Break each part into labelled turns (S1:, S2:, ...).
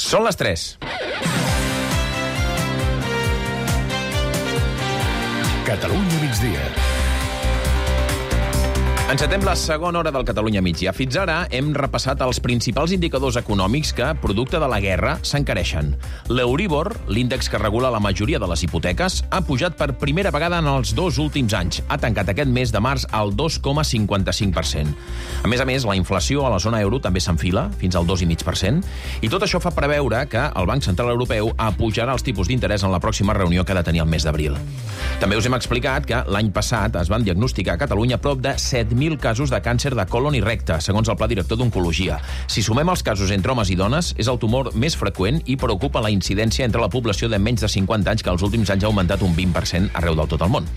S1: Són les 3.
S2: Catalunya migdia.
S1: Encetem la segona hora del Catalunya migdia. Fins ara hem repassat els principals indicadors econòmics que, producte de la guerra, s'encareixen. L'Euribor, l'índex que regula la majoria de les hipoteques, ha pujat per primera vegada en els 2 últims anys. Ha tancat aquest mes de març al 2,55%. A més, la inflació a la zona euro també s'enfila, fins al 2,5%, i tot això fa preveure que el Banc Central Europeu apujarà els tipus d'interès en la pròxima reunió que ha de tenir el mes d'abril. També us hem explicat que l'any passat es van diagnosticar a Catalunya prop de 7.000 casos de càncer de colon i recte, segons el Pla Director d'Oncologia. Si sumem els casos entre homes i dones, és el tumor més freqüent i preocupa la incidència entre la població de menys de 50 anys, que els últims anys ha augmentat un 20% arreu del tot el món.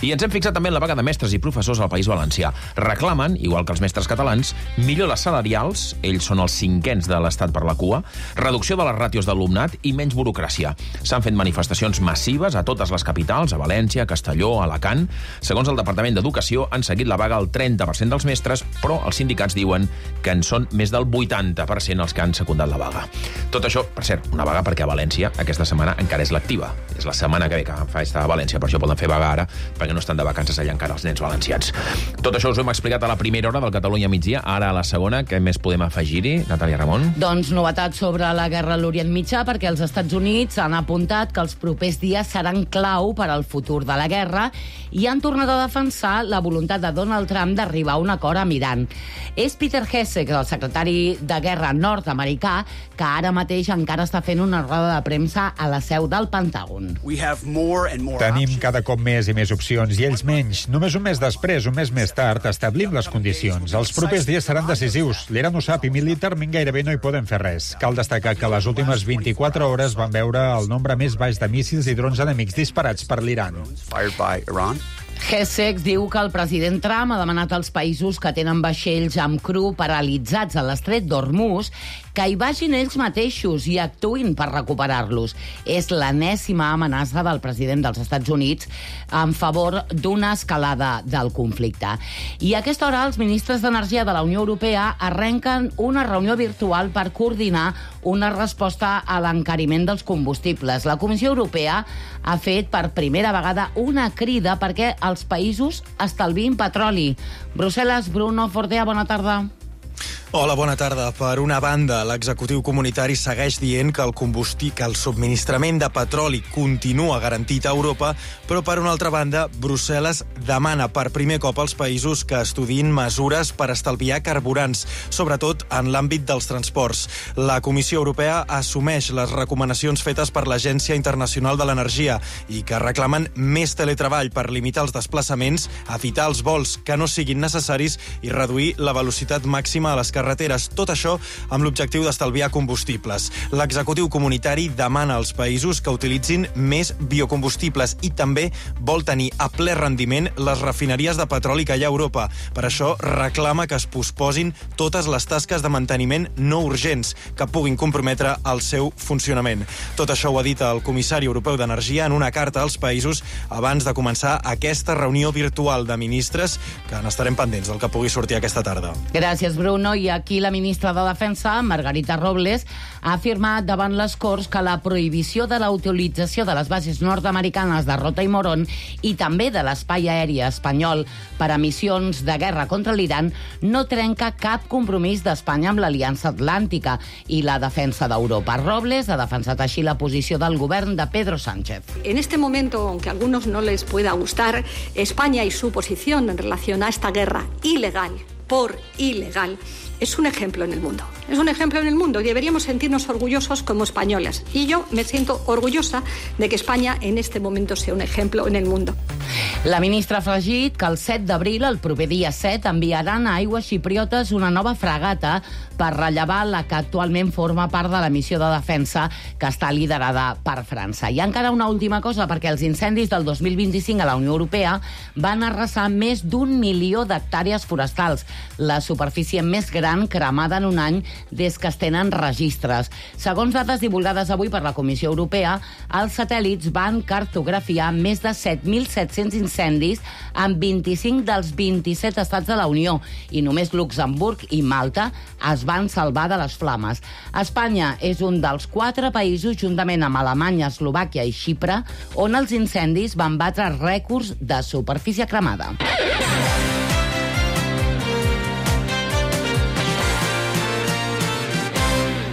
S1: I ens hem fixat també en la vaga de mestres i professors al País Valencià. Reclamen, igual que els mestres catalans, millores salarials, ells són els cinquens de l'Estat per la cua, reducció de les ràtios d'alumnat i menys burocràcia. S'han fet manifestacions massives a totes les capitals, a València, a Castelló, a Alacant. Segons el Departament d'Educació, han seguit la vaga el 30% dels mestres, però els sindicats diuen que en són més del 80% els que han secundat la vaga. Tot això, per cert, una vaga perquè a València aquesta setmana encara és lectiva. És la setmana que ve que fa estar a València, per això poden fer vaga ara, perquè no estan de vacances allà encara els nens valencians. Tot això us ho hem explicat a la primera hora del Catalunya migdia. Ara a la segona, què més podem afegir-hi? Natàlia Ramon?
S3: Doncs novetats sobre la guerra a l'Orient Mitjà, perquè els Estats Units han apuntat que els propers dies seran clau per al futur de la guerra i han tornat a defensar la voluntat de Donald Trump d'arribar a un acord amb Iran. És Peter Hesek, el secretari de Guerra nord-americà, que ara mateix encara està fent una roda de premsa a la seu del Pentàgon.
S4: Tenim cada cop més i més opcions, i ells menys. Només un mes després, un mes més tard, establim les condicions. Els propers dies seran decisius. L'Iran ho sap i militarment gairebé no hi poden fer res. Cal destacar que les últimes 24 hores van veure el nombre més baix de míssils i drons enemics disparats per l'Iran.
S3: Hesek diu que el president Trump ha demanat als països que tenen vaixells amb cru paralitzats a l'estret d'Hormuz que hi vagin ells mateixos i actuïn per recuperar-los. És l'enèsima amenaça del president dels Estats Units en favor d'una escalada del conflicte. I a aquesta hora els ministres d'Energia de la Unió Europea arrenquen una reunió virtual per coordinar una resposta a l'encariment dels combustibles. La Comissió Europea ha fet per primera vegada una crida perquè els països estalviïn petroli. Brussel·les, Bruno Fortea, bona tarda.
S5: Hola, bona tarda. Per una banda, l'executiu comunitari segueix dient que el subministrament de petroli continua garantit a Europa, però per una altra banda, Brussel·les demana per primer cop als països que estudiïn mesures per estalviar carburants, sobretot en l'àmbit dels transports. La Comissió Europea assumeix les recomanacions fetes per l'Agència Internacional de l'Energia i que reclamen més teletreball per limitar els desplaçaments, evitar els vols que no siguin necessaris i reduir la velocitat màxima a les carreteres. Tot això amb l'objectiu d'estalviar combustibles. L'executiu comunitari demana als països que utilitzin més biocombustibles i també vol tenir a ple rendiment les refineries de petroli que hi ha a Europa. Per això reclama que es posposin totes les tasques de manteniment no urgents que puguin comprometre el seu funcionament. Tot això ho ha dit el comissari europeu d'Energia en una carta als països abans de començar aquesta reunió virtual de ministres que n'estarem pendents del que pugui sortir aquesta tarda.
S3: Gràcies, Bruno. I aquí la ministra de Defensa, Margarita Robles, ha afirmat davant les Corts que la prohibició de la utilització de les bases nord-americanes de Rota i Morón i també de l'espai aeri espanyol per a missions de guerra contra l'Iran no trenca cap compromís d'Espanya amb l'Aliança Atlàntica i la defensa d'Europa. Robles ha defensat així la posició del govern de Pedro Sánchez.
S6: En este momento, aunque a algunos no les pueda gustar, España y su posición en relación a esta guerra ilegal, es un ejemplo en el mundo. Es un ejemplo en el mundo y deberíamos sentirnos orgullosos como españoles. Y yo me siento orgullosa de que España en este momento sea un ejemplo en el mundo.
S3: La ministra ha afegit que el 7 d'abril, el proper dia 7, enviaran a aigües xipriotes una nova fragata per rellevar la que actualment forma part de la missió de defensa que està liderada per França. I encara una última cosa, perquè els incendis del 2025 a la Unió Europea van arrasar més d'1 milió d'hectàrees forestals, la superfície més gran cremada en un any des que es tenen registres. Segons dades divulgades avui per la Comissió Europea, els satèl·lits van cartografiar més de 7.700 200 incendis en 25 dels 27 estats de la Unió i només Luxemburg i Malta es van salvar de les flames. Espanya és un dels 4 països, juntament amb Alemanya, Eslovàquia i Xipre, on els incendis van batre rècords de superfície cremada.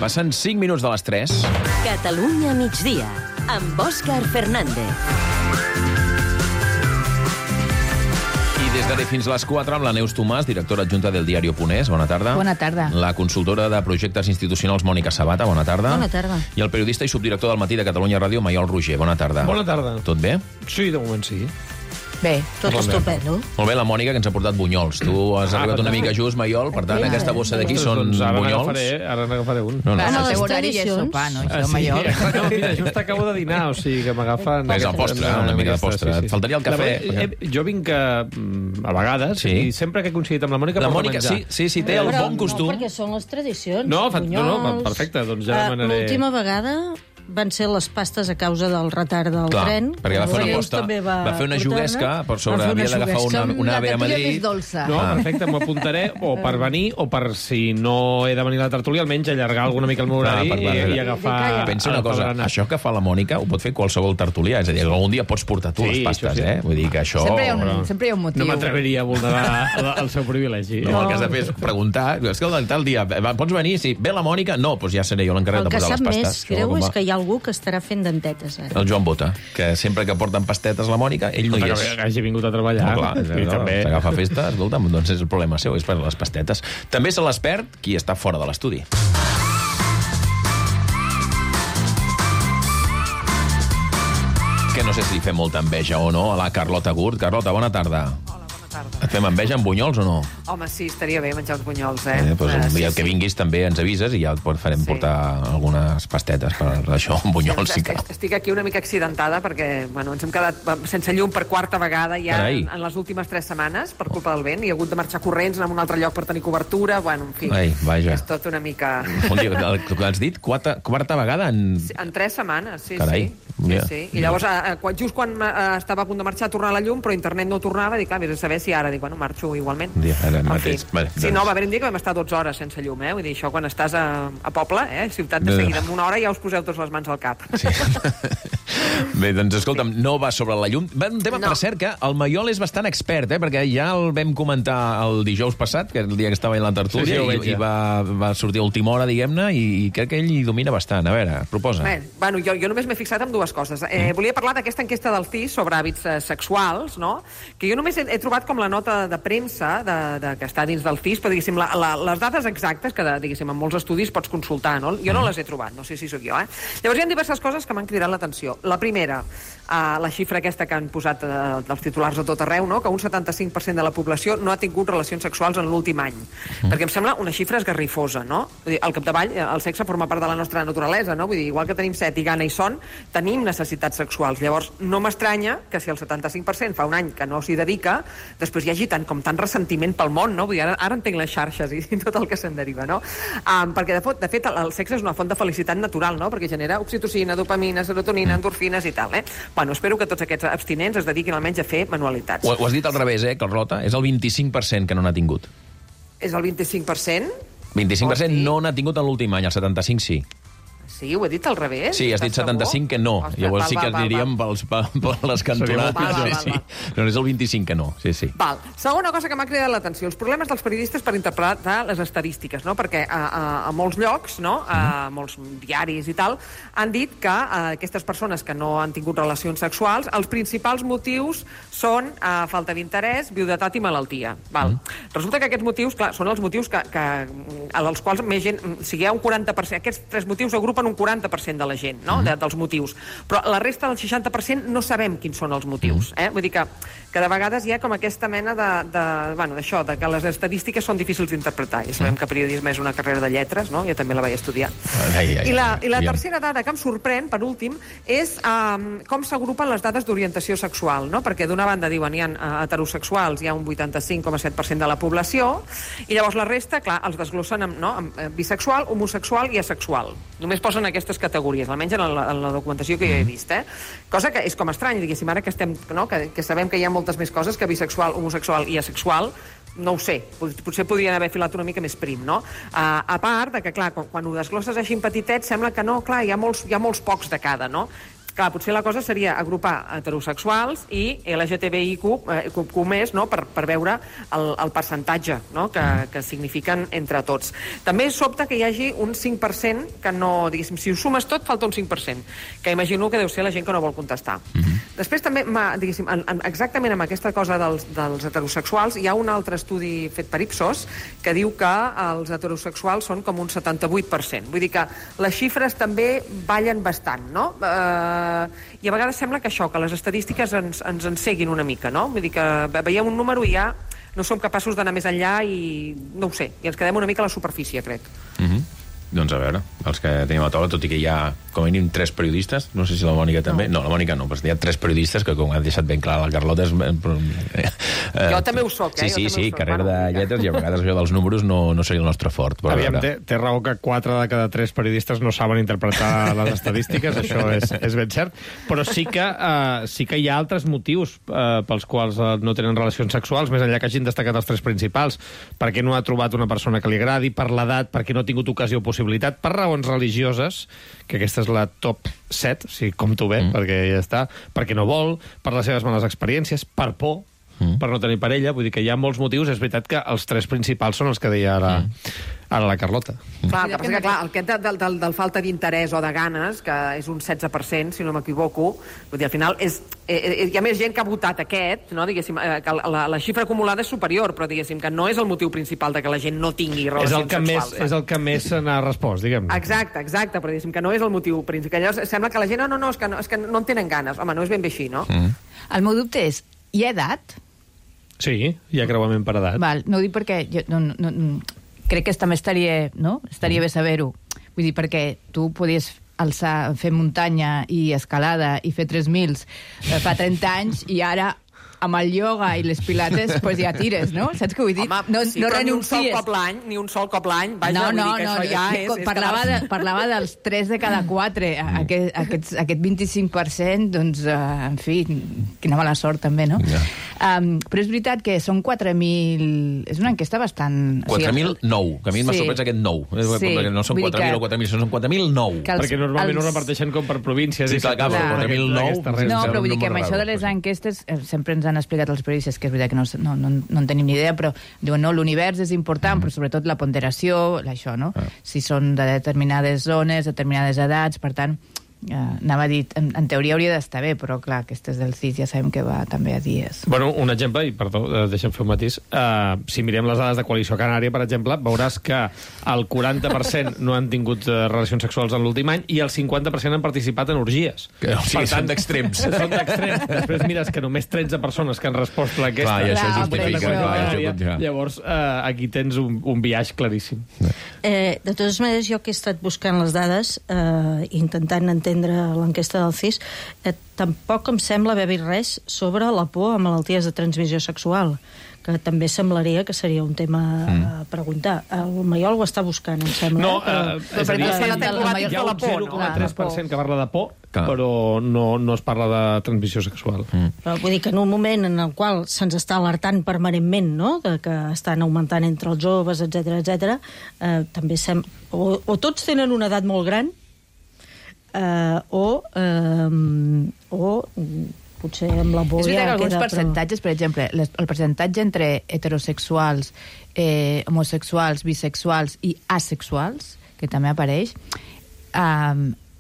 S1: Passen 5 minuts de les 3.
S7: Catalunya migdia, amb Òscar Fernández.
S1: I des d'ara fins a les 4 amb la Neus Tomàs, directora adjunta del diario.es. Bona tarda.
S8: Bona tarda.
S1: La consultora de projectes institucionals Mònica Sabata. Bona tarda.
S8: Bona tarda.
S1: I el periodista i subdirector del Matí de Catalunya Ràdio, Maiol Roger. Bona tarda.
S9: Bona tarda.
S1: Tot bé?
S9: Sí, de moment sí.
S8: Bé, tot estupendo.
S1: Molt bé, la Mònica, que ens ha portat bunyols. Tu has arribat una mica just, Maiol, per tant, aquesta bossa d'aquí són bunyols.
S9: Ara n'agafaré un.
S1: No, no.
S8: El seu horari ja és sopar, no? Això, Maiol.
S9: No, mira, just acabo de dinar, o sigui que m'agafen...
S1: És el postre, una mica de postre. Et faltaria el cafè.
S9: Jo vinc a vegades, i sempre que he coincidit amb la Mònica
S1: La
S9: porta
S1: Mònica,
S9: menjar.
S1: sí, té el bon costum.
S10: No, perquè són les tradicions.
S9: No, perfecte, doncs ja demanaré...
S10: L'última vegada van ser les pastes a causa del retard del tren.
S1: Perquè va fer una aposta, va fer una juguesca per sobre, havia d'agafar una AVE a Madrid.
S9: No, perfecte, m'ho apuntaré o per venir o per, si no he de venir a la tertúlia, almenys allargar alguna mica el meu horari i agafar...
S1: Pensa una cosa, això que fa la Mònica ho pot fer qualsevol tertulià, és a dir, algun dia pots portar tu les pastes, Vull dir que això...
S8: Sempre hi ha un motiu.
S9: No m'atreviria a vulnerar el seu privilegi.
S1: No, el que has de fer és preguntar, escolta, tal dia, pots venir? Si ve la Mònica, no, doncs ja seré jo l'encarregat de posar les pastes.
S10: El que sap més greu és que hi ha algú que estarà fent dentetes, ara.
S1: El Joan Bota, que sempre que porten pastetes la Mònica, ell no hi és.
S9: Que hagi vingut a treballar.
S1: No, clar, s'agafa festa, escolta'm, doncs és el problema seu, és per les pastetes. També se les perd qui està fora de l'estudi. Que no sé si li fem molta enveja o no a la Carlota Gurt. Carlota, bona tarda. Et fem enveja amb bunyols o no?
S11: Home, sí, estaria bé menjar uns bunyols,
S1: Doncs un dia que vinguis també ens avises i ja et farem portar algunes pastetes per això, amb bunyols, si cal.
S11: Estic aquí una mica accidentada perquè, bueno, ens hem quedat sense llum per 4ª vegada ja en les últimes 3 setmanes per culpa del vent i he hagut de marxar corrents a un altre lloc per tenir cobertura, bueno, en fi. És tot una mica...
S1: Un dia, que has dit? 4ª vegada en...
S11: En 3 setmanes, sí.
S1: Carai.
S11: Sí. I llavors, just quan estava a punt de marxar a tornar la llum, però internet no tornava, dic, vés a saber si ara, dic, bueno, marxo igualment. Sí, no, va haver un dia que vam estar 12 hores sense llum, Vull dir, això quan estàs a poble, ciutat de seguida, en una hora ja us poseu tots les mans al cap.
S1: Sí. Bé, doncs escolta'm, no va sobre la llum. Va un tema, per cert, que el Maiol és bastant expert, perquè ja el vam comentar el dijous passat, que és el dia que estava a la tertúlia, i va sortir a última hora, diguem-ne, i crec que ell hi domina bastant. A veure, proposa.
S11: Bueno, jo només m'he fixat en 2 coses. Volia parlar d'aquesta enquesta del CIS sobre hàbits sexuals, no? Que jo només he trobat com la nota de premsa que està dins del CIS, però, diguéssim, les dades exactes, que, diguéssim, en molts estudis pots consultar, no? Jo no les he trobat, no sé si sóc jo, Llavors hi ha diverses coses que m'han cridat l'atenció. La primera, la xifra aquesta que han posat dels titulars a tot arreu, no? Que un 75% de la població no ha tingut relacions sexuals en l'últim any. Perquè em sembla una xifra esgarrifosa, no? Vull dir, al capdavall, el sexe forma part de la nostra naturalesa, no? Vull dir, igual que tenim set i gana i son, tenim necessitats sexuals. Llavors, no m'estranya que si el 75% fa un any que no s'hi dedica, després hi hagi tant ressentiment pel món, no? Vull dir, ara entenc les xarxes i tot el que se'n deriva, no? Perquè, de fet, el sexe és una font de felicitat natural, no? Perquè genera oxitocina, dopamina, serotonina, endorfines i tal, Bueno, espero que tots aquests abstinents es dediquin almenys a fer manualitats.
S1: Ho has dit al revés, Carlota? És el 25% que no n'ha tingut.
S11: És el 25%?
S1: 25% no n'ha tingut en l'últim any, el 75% sí.
S11: Sí, ho he dit al revés?
S1: Sí, has dit 75 que no. Llavors sí que aniríem per les cantonades. Sí. No, és el 25 que no. Sí.
S11: Val. Segona cosa que m'ha cridat l'atenció, els problemes dels periodistes per interpretar les estadístiques, no? Perquè a molts llocs, no? A molts diaris i tal, han dit que aquestes persones que no han tingut relacions sexuals, els principals motius són falta d'interès, viudetat i malaltia. Val. Resulta que aquests motius, clar, són els motius als quals més gent... O sigui, hi ha un 40%... Aquests 3 motius agrupen un 40% de la gent, no? Dels motius. Però la resta del 60% no sabem quins són els motius. Vull dir que de vegades hi ha com aquesta mena d'això, de que les estadístiques són difícils d'interpretar. Ja sabem que periodisme és una carrera de lletres, no? Jo també la vaig estudiar. I la tercera dada que em sorprèn, per últim, és com s'agrupen les dades d'orientació sexual, no? Perquè d'una banda diuen hi ha heterosexuals, hi ha un 85,7% de la població, i llavors la resta, clar, els desglossen amb bisexual, homosexual i asexual. Només pels posen aquestes categories, almenys en la documentació que jo he vist, cosa que és com estrany, diguéssim, ara que estem, no? que sabem que hi ha moltes més coses que bisexual, homosexual i asexual, no ho sé, potser podrien haver filat una mica més prim, no? A part de que, clar, quan ho desglosses així en petitet, sembla que no, clar, hi ha molts pocs de cada, no? Clar, potser la cosa seria agrupar heterosexuals i LGTBIQ més, no? per veure el percentatge, no? que signifiquen entre tots. També sobta que hi hagi un 5% que no, diguéssim, si ho sumes tot, falta un 5%, que imagino que deu ser la gent que no vol contestar. Després també, diguéssim, exactament amb aquesta cosa dels heterosexuals, hi ha un altre estudi fet per Ipsos que diu que els heterosexuals són com un 78%. Vull dir que les xifres també ballen bastant, no? I a vegades sembla que això, que les estadístiques ens enceguin una mica, no? Vull dir que veiem un número i ja no som capaços d'anar més enllà i no ho sé, i ens quedem una mica a la superfície, crec.
S1: Doncs a veure, els que tenim a taula, tot i que hi ha com a mínim 3 periodistes, no sé si la Mònica també... No, la Mònica no, però hi ha 3 periodistes que, com ha deixat ben clar la Carlota...
S11: Jo també ho soc,
S1: Sí, carrera de lletres, i a vegades això dels números no seria el nostre fort.
S9: Aviam, té raó que 4 de cada 3 periodistes no saben interpretar les estadístiques, això és ben cert, però sí que hi ha altres motius pels quals no tenen relacions sexuals, més enllà que hagin destacat els 3 principals. Perquè no ha trobat una persona que li agradi, per l'edat, perquè no ha tingut ocasió o possibilitat, per raons religioses, que aquesta és la top 7, si compto bé, perquè ja està, perquè no vol, per les seves males experiències, per por, per no tenir parella, vull dir que hi ha molts motius. És veritat que els 3 principals són els que deia ara la Carlota.
S11: Clar, el que passa que aquest del falta d'interès o de ganes, que és un 16%, si no m'equivoco, vull dir, al final hi ha més gent que ha votat aquest, no? Diguéssim, que la xifra acumulada és superior, però diguéssim que no és el motiu principal de que la gent no tingui relacions sexuals.
S9: És el que més se n'ha respost, diguem.
S11: Exacte, però diguéssim que no és el motiu principal. Llavors sembla que la gent, és que no en tenen ganes. Home, no és ben bé així, no?
S8: El meu dubte és, hi ha edat?
S9: Sí, hi ha creuament per edat.
S8: Val, no ho dic perquè crec que també estaria bé saber-ho. Vull dir, perquè tu podies fer muntanya i escalada i fer 3.000 fa 30 anys i ara amb el ioga i les pilates pues ja tires, no? Saps què vull dir?
S11: Home, sí, no renuncies. Ni un sol cop l'any, vaja, vull dir que això ja és...
S8: Parlava dels 3 de cada 4. Aquest 25%, doncs, en fi, quina mala sort també, no? Però és veritat que són 4.000... És una enquesta bastant...
S1: 4.009, que a mi m'ha sorprès aquest 9. No són 4.000 o 4.000, són 4.009.
S9: Perquè normalment ho reparteixen com per províncies.
S1: Sí, clar, 4.009...
S8: No, però vull dir que amb això de les enquestes sempre ens han explicat els periodistes, que és veritat que no en tenim ni idea, però diuen, no, l'univers és important, però sobretot la ponderació, això, no? Si són de determinades zones, determinades edats, per tant, anava a dir, en teoria hauria d'estar bé, però clar, aquestes del CIS ja sabem que va també a dies.
S9: Bueno, un exemple, i perdó, deixa'm fer un matís, si mirem les dades de Coalició Canària, per exemple, veuràs que el 40% no han tingut relacions sexuals en l'últim any i el 50% han participat en orgies.
S1: O sigui, són d'extrems.
S9: Són d'extrems. Després mires que només 13 persones que han respost l'enquesta.
S1: Clar, i això justifica.
S9: Llavors, aquí tens un biaix claríssim.
S10: De totes maneres, jo que he estat buscant les dades, intentant entendre l'enquesta del CIS, tampoc em sembla haver vist res sobre la por a malalties de transmissió sexual, que també semblaria que seria un tema a preguntar. El Maiol ho està buscant, em sembla.
S9: No, és a dir, hi ha un 0,3% que parla de por, però no es parla de transmissió sexual.
S10: Però vull dir que en un moment en el qual se'ns està alertant permanentment, no?, de que estan augmentant entre els joves, etc, també o tots tenen una edat molt gran, o potser amb la por...
S8: És veritat que alguns percentatges, per exemple, el percentatge entre heterosexuals, homosexuals, bisexuals i asexuals, que també apareix,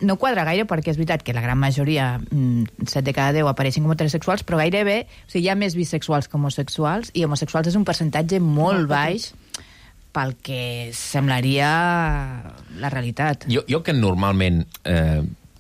S8: no quadra gaire, perquè és veritat que la gran majoria, 7 de cada 10, apareixen com heterosexuals, però gairebé, o sigui, hi ha més bisexuals que homosexuals, i homosexuals és un percentatge molt baix pel que semblaria la realitat.
S1: Jo que normalment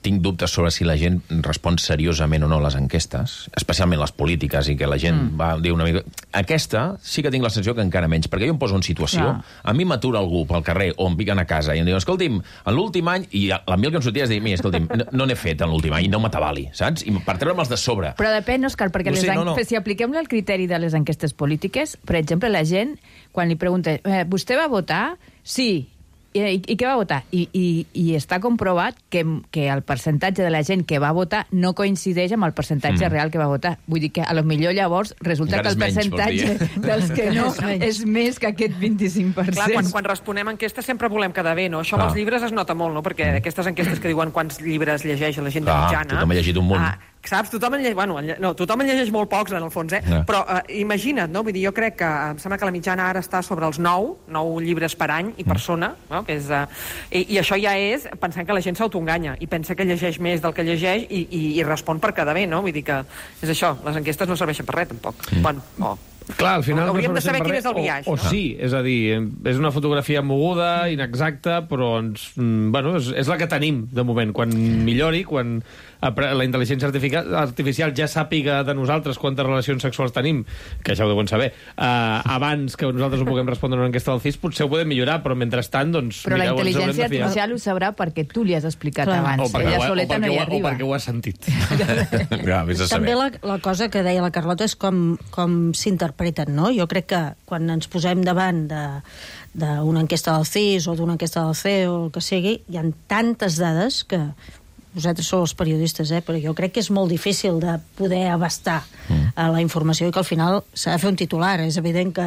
S1: tinc dubtes sobre si la gent respon seriosament o no a les enquestes, especialment les polítiques, i que la gent va dir una mica... Aquesta sí que tinc la sensació que encara menys, perquè jo em poso en situació, a mi m'atura algú pel carrer o em piquen a casa i em diuen, escolti'm, en l'últim any, i l'Emil que em sortia és dir, mira, escolti'm, no n'he fet en l'últim any, no m'atabali, saps? I per treure'm els de sobre.
S8: Però depèn, Òscar, perquè si apliquem el criteri de les enquestes polítiques, per exemple, la gent, quan li pregunta, vostè va votar? Sí. I què va votar? I està comprovat que el percentatge de la gent que va votar no coincideix amb el percentatge real que va votar. Vull dir que a lo millor llavors resulta que el percentatge dels que no és més que aquest 25%.
S11: Clar, quan responem enquestes sempre volem quedar bé, no? Això amb els llibres es nota molt, no? Perquè aquestes enquestes que diuen quants llibres llegeix la gent de mitjana...
S1: Tothom ha llegit un munt.
S11: Saps? Tothom en llegeix molt pocs, en el fons, Però imagina't, no? Vull dir, jo crec que em sembla que la mitjana ara està sobre els 9 llibres per any i persona, no? Que és, i això ja és pensant que la gent s'autoenganya i pensa que llegeix més del que llegeix i respon per quedar bé, no? Vull dir que és això, les enquestes no serveixen per res, tampoc. Bueno,
S9: clar, al final
S11: hauríem de saber quin és el biaix,
S9: no? Sí, és a dir, és una fotografia moguda, inexacta, però és la que tenim, de moment. Quan millori, quan la intel·ligència artificial ja sàpiga de nosaltres quantes relacions sexuals tenim, que ja ho deuen saber, abans que nosaltres ho puguem respondre en una enquesta del CIS, potser ho podem millorar, però mentrestant, doncs...
S8: Però la intel·ligència artificial ho sabrà perquè tu li has explicat abans. Ella soleta no hi arriba.
S9: O perquè ho has sentit.
S10: També la cosa que deia la Carlota és com s'interpreten, no? Jo crec que quan ens posem davant d'una enquesta del CIS o d'una enquesta del CEO o el que sigui, hi ha tantes dades que vosaltres sou els periodistes, però jo crec que és molt difícil de poder abastar la informació i que al final s'ha de fer un titular. És evident que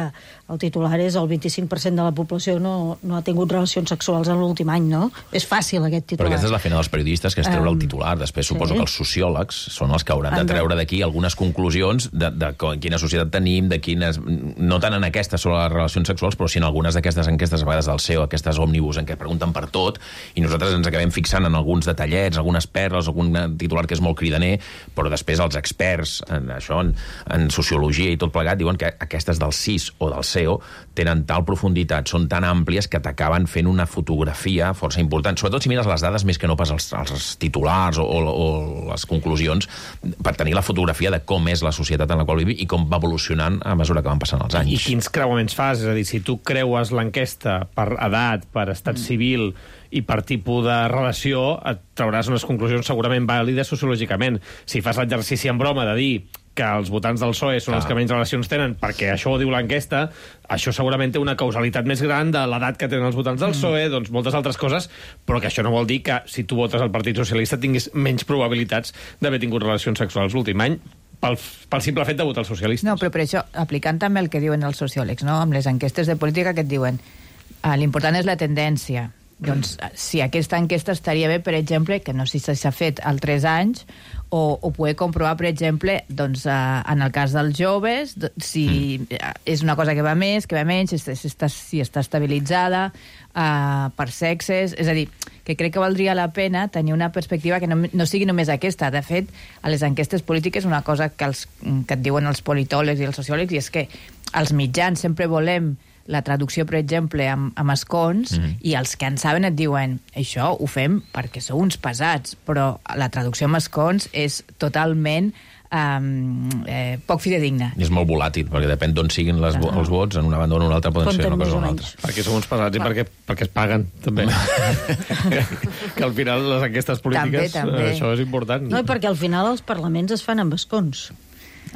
S10: el titular és el 25% de la població no ha tingut relacions sexuals en l'últim any, no? És fàcil aquest titular.
S1: Però aquesta és la feina dels periodistes, que és treure el titular. Després suposo que els sociòlegs són els que hauran de treure d'aquí algunes conclusions de quina societat tenim, de quines... No tant en aquestes sobre les relacions sexuals, però sí en algunes d'aquestes enquestes, a vegades del CEO, aquestes òmnibus en què pregunten per tot, i nosaltres ens acabem fixant en alguns detallets, algunes perles, algun titular que és molt cridaner, però després els experts en sociologia i tot plegat diuen que aquestes del CIS o del CEO tenen tal profunditat, són tan àmplies que t'acaben fent una fotografia força important, sobretot si mires les dades més que no pas els titulars o les conclusions, per tenir la fotografia de com és la societat en la qual vivim i com va evolucionant a mesura que van passant els anys.
S9: I quins creuaments fas? És a dir, si tu creues l'enquesta per edat, per estat civil i per tipus de relació, et trauràs unes conclusions segurament vàlides sociològicament. Si fas l'exercici en broma de dir que els votants del PSOE són els que menys relacions tenen perquè això ho diu l'enquesta, això segurament té una causalitat més gran de l'edat que tenen els votants del PSOE, doncs moltes altres coses, però que això no vol dir que si tu votes al Partit Socialista tinguis menys probabilitats d'haver tingut relacions sexuals l'últim any pel simple fet de votar els socialistes.
S8: No, però per això, aplicant també el que diuen els sociòlegs, no? Amb les enquestes de política que et diuen l'important és la tendència. Doncs si aquesta enquesta estaria bé, per exemple, que no sé si s'ha fet al 3 anys, o poder comprovar, per exemple, doncs, en el cas dels joves, si és una cosa que va més, que va menys, si està estabilitzada per sexes. És a dir, que crec que valdria la pena tenir una perspectiva que no sigui només aquesta. De fet, a les enquestes polítiques una cosa que et diuen els politòlegs i els sociòlegs i és que els mitjans sempre volem la traducció, per exemple, amb escons, i els que en saben et diuen això ho fem perquè sou uns pesats, però la traducció amb escons és totalment poc fidedigna.
S1: I és molt volàtil, perquè depèn d'on siguin els vots, en una banda o en una altra poden ser una cosa o una altra.
S9: Perquè som uns pesats i perquè es paguen, també. Que al final les enquestes polítiques, també. Això és important.
S10: No, i perquè al final els parlaments es fan amb escons.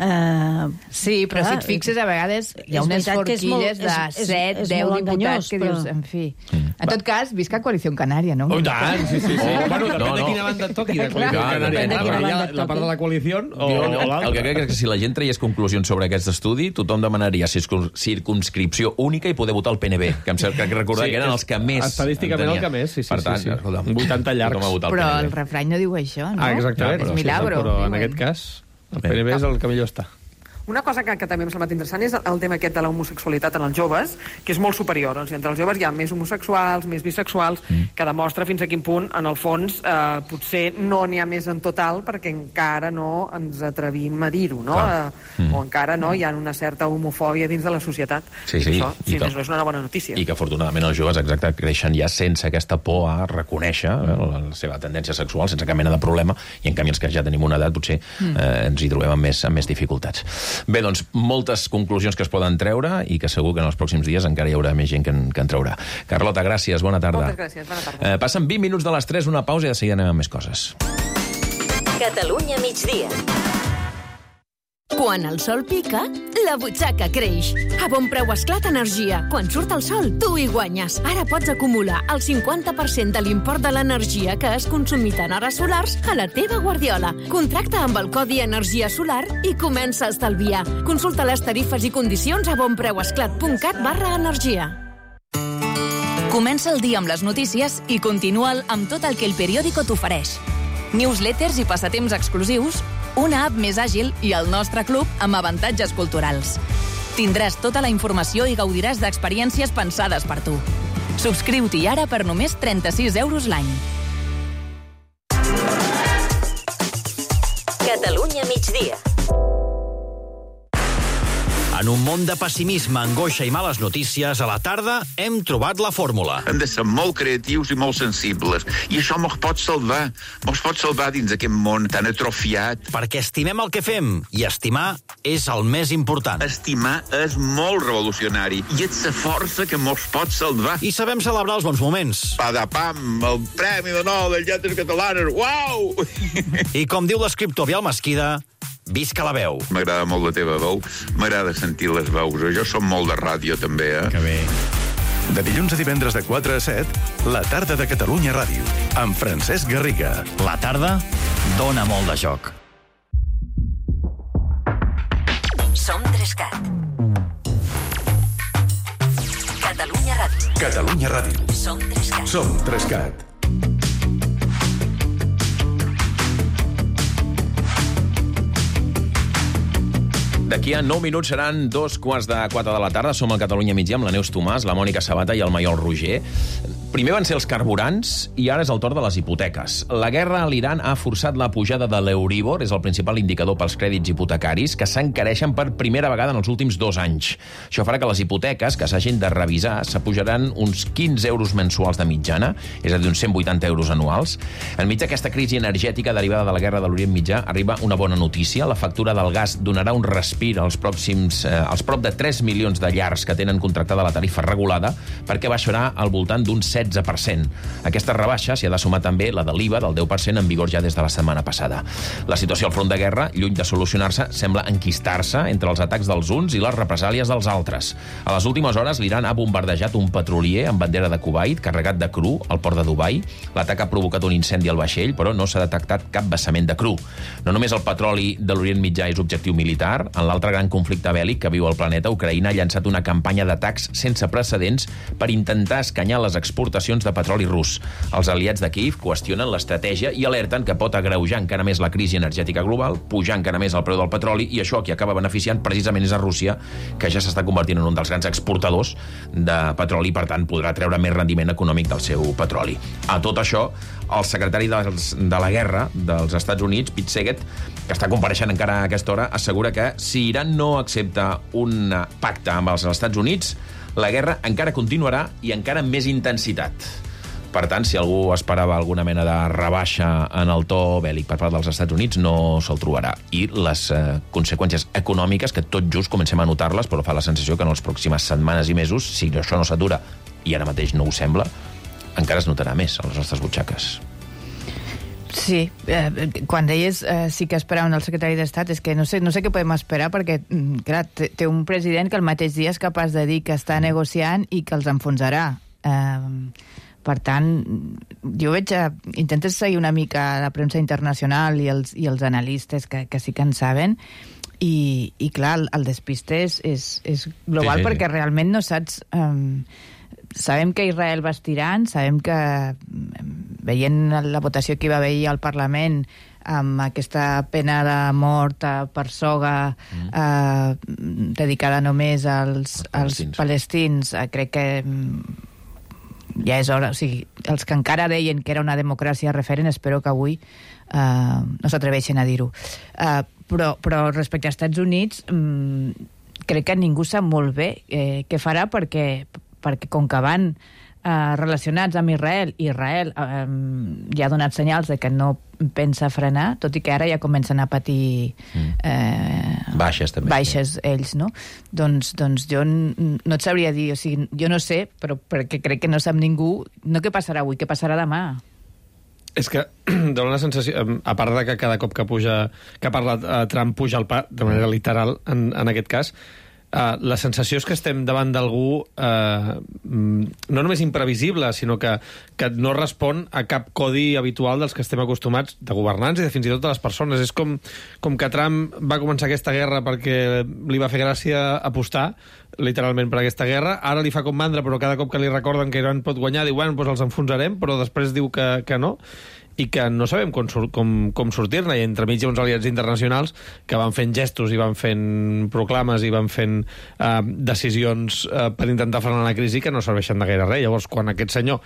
S8: Sí, però si et fixes, a vegades hi ha unes forquilles de 7, 10 diputats que dius, en fi. En tot cas, visca Coalició Canària, no?
S9: Oh, tant, sí. Bueno, depèn de quina banda et toqui, de Coalició Canària. La part de la coalició o l'altra.
S1: El que crec és que si la gent traies conclusions sobre aquest estudi, tothom demanaria circumscripció única i poder votar el PNB, que em sembla que recordar que eren els que més...
S9: Estadísticament el que més, sí.
S1: Per tant,
S9: 80 llargs.
S8: Però el refrany no diu això, no?
S9: Exactament.
S8: És milagro.
S9: Però en aquest cas... El PNB és el que millor està.
S11: Una cosa que també m'ha semblat interessant és el tema aquest de l'homosexualitat en els joves, que és molt superior. O sigui, entre els joves hi ha més homosexuals, més bisexuals, que demostra fins a quin punt, en el fons, potser no n'hi ha més en total perquè encara no ens atrevim a dir-ho, no? O encara no hi ha una certa homofòbia dins de la societat.
S1: Sí.
S11: I això, si més no, és una bona notícia.
S1: I que, afortunadament, els joves, exacte, creixen ja sense aquesta por a reconèixer la seva tendència sexual, sense cap mena de problema, i en canvi els que ja tenim una edat potser ens hi trobem amb més dificultats. Bé, doncs, moltes conclusions que es poden treure i que segur que en els pròxims dies encara hi haurà més gent que en traurà. Carlota, gràcies, bona tarda.
S11: Moltes gràcies, bona tarda.
S1: Passen 20 minuts de les 3, una pausa i de seguida anem amb més coses.
S7: Catalunya migdia.
S12: Quan el sol pica, la butxaca creix. A Bon Preu Esclat Energia. Quan surt el sol, tu hi guanyes. Ara pots acumular el 50% de l'import de l'energia que has consumit en hores solars a la teva guardiola. Contracta amb el codi Energia Solar i comença a estalviar. Consulta les tarifes i condicions a bonpreuesclat.cat/energia.
S13: Comença el dia amb les notícies i continua'l amb tot el que el periòdico t'ofereix. Newsletters i passatemps exclusius, una app més àgil i el nostre club amb avantatges culturals. Tindràs tota la informació i gaudiràs d'experiències pensades per tu. Subscriu-t'hi ara per només 36 € l'any.
S7: Catalunya migdia.
S14: En un món de pessimisme, angoixa i males notícies, a la tarda hem trobat la fórmula.
S15: Hem de ser molt creatius i molt sensibles. I això mos pot salvar. Mos pot salvar dins aquest món tan atrofiat.
S14: Perquè estimem el que fem, i estimar és el més important.
S15: Estimar és molt revolucionari i és la força que mos pot salvar.
S14: I sabem celebrar els bons moments.
S15: Padapam, el Premi de Nobel de Lletres Catalanes, uau!
S14: I com diu l'escriptor Biel Mesquida, visca la veu.
S15: M'agrada molt la teva veu, m'agrada sentir les veus. Jo som molt de ràdio, també,
S2: Que bé. De dilluns a divendres de 4 a 7, la tarda de Catalunya Ràdio, amb Francesc Garriga.
S14: La tarda dona molt de joc.
S7: Som 3CAT. Catalunya Ràdio.
S2: Catalunya Ràdio.
S7: Som 3CAT.
S2: Som 3CAT.
S1: D'aquí a 9 minuts seran 3:45 de la tarda. Som al Catalunya migdia amb la Neus Tomàs, la Mònica Sabata i el Maiol Roger. Primer van ser els carburants i ara és el torn de les hipoteques. La guerra a l'Iran ha forçat la pujada de l'Euribor, és el principal indicador pels crèdits hipotecaris, que s'encareixen per primera vegada en els últims 2 anys. Això farà que les hipoteques que s'hagin de revisar s'apujaran uns 15 € mensuals de mitjana, és a dir, uns 180 € anuals. Enmig d'aquesta crisi energètica derivada de la guerra de l'Orient Mitjà arriba una bona notícia. La factura del gas donarà un respir als prop de 3 milions de llars que tenen contractada la tarifa regulada, perquè baixarà al voltant d'un 16%. Aquesta rebaixa s'hi ha de sumar també la de l'IVA del 10% en vigor ja des de la setmana passada. La situació al front de guerra, lluny de solucionar-se, sembla enquistar-se entre els atacs dels uns i les represàlies dels altres. A les últimes hores, l'Iran ha bombardejat un petrolier amb bandera de Kuwait carregat de cru al port de Dubai. L'atac ha provocat un incendi al vaixell, però no s'ha detectat cap vessament de cru. No només el petroli de l'Orient Mitjà és objectiu militar, en l'altre gran conflicte bèl·lic que viu el planeta, Ucraïna ha llançat una campanya d'atacs sense precedents per intentar escanyar les exportacions de petroli rus. Els aliats de Kíev qüestionen l'estratègia i alerten que pot agreujar encara més la crisi energètica global, pujar encara més el preu del petroli, i això qui acaba beneficiant precisament és a Rússia, que ja s'està convertint en un dels grans exportadors de petroli i, per tant, podrà treure més rendiment econòmic del seu petroli. A tot això, el secretari de la Guerra dels Estats Units, Pete Seget, que està compareixent encara a aquesta hora, assegura que si Iran no accepta un pacte amb els Estats Units, la guerra encara continuarà i encara amb més intensitat. Per tant, si algú esperava alguna mena de rebaixa en el to bèl·lic per part dels Estats Units, no se'l trobarà. I les conseqüències econòmiques, que tot just comencem a notar-les, però fa la sensació que en les pròximes setmanes i mesos, si això no s'atura, i ara mateix no ho sembla, encara es notarà més a les nostres butxaques.
S8: Sí, quan deies sí que esperaven el secretari d'Estat, és que no sé què podem esperar, perquè clar, té un president que el mateix dia és capaç de dir que està negociant i que els enfonsarà. Per tant, jo veig... Intentes seguir una mica la premsa internacional i els analistes que sí que en saben, i clar, el despiste és global, sí. Perquè realment no saps... Sabem que Israel va estirant, sabem que, veient la votació que hi va haver al Parlament, amb aquesta pena de mort per soga dedicada només als palestins, crec que ja és hora. O sigui, els que encara deien que era una democràcia referent, espero que avui no s'atreveixen a dir-ho. Però respecte als Estats Units, crec que ningú sap molt bé què farà, perquè com que van relacionats amb Israel ja ha donat senyals de que no pensa frenar, tot i que ara ja comencen a patir
S1: baixes també,
S8: baixes ells, no? Doncs jo no et sabria dir, o sigui, jo no sé, però perquè crec que no sap ningú, no què passarà avui, què passarà demà.
S9: És que dona la sensació, a part de que cada cop que parla Trump puja el pa, de manera literal, en aquest cas, la sensació és que estem davant d'algú no només imprevisible, sinó que no respon a cap codi habitual dels que estem acostumats, de governants i de fins i tot de les persones. És com que Trump va començar aquesta guerra perquè li va fer gràcia apostar literalment per aquesta guerra, ara li fa com mandra, però cada cop que li recorden que Iran pot guanyar diu, bueno, doncs els enfonsarem, però després diu que no, i que no sabem com sortir-ne, i entremig hi ha uns aliats internacionals que van fent gestos i van fent proclames i van fent decisions per intentar frenar la crisi que no serveixen de gaire res. Llavors, quan aquest senyor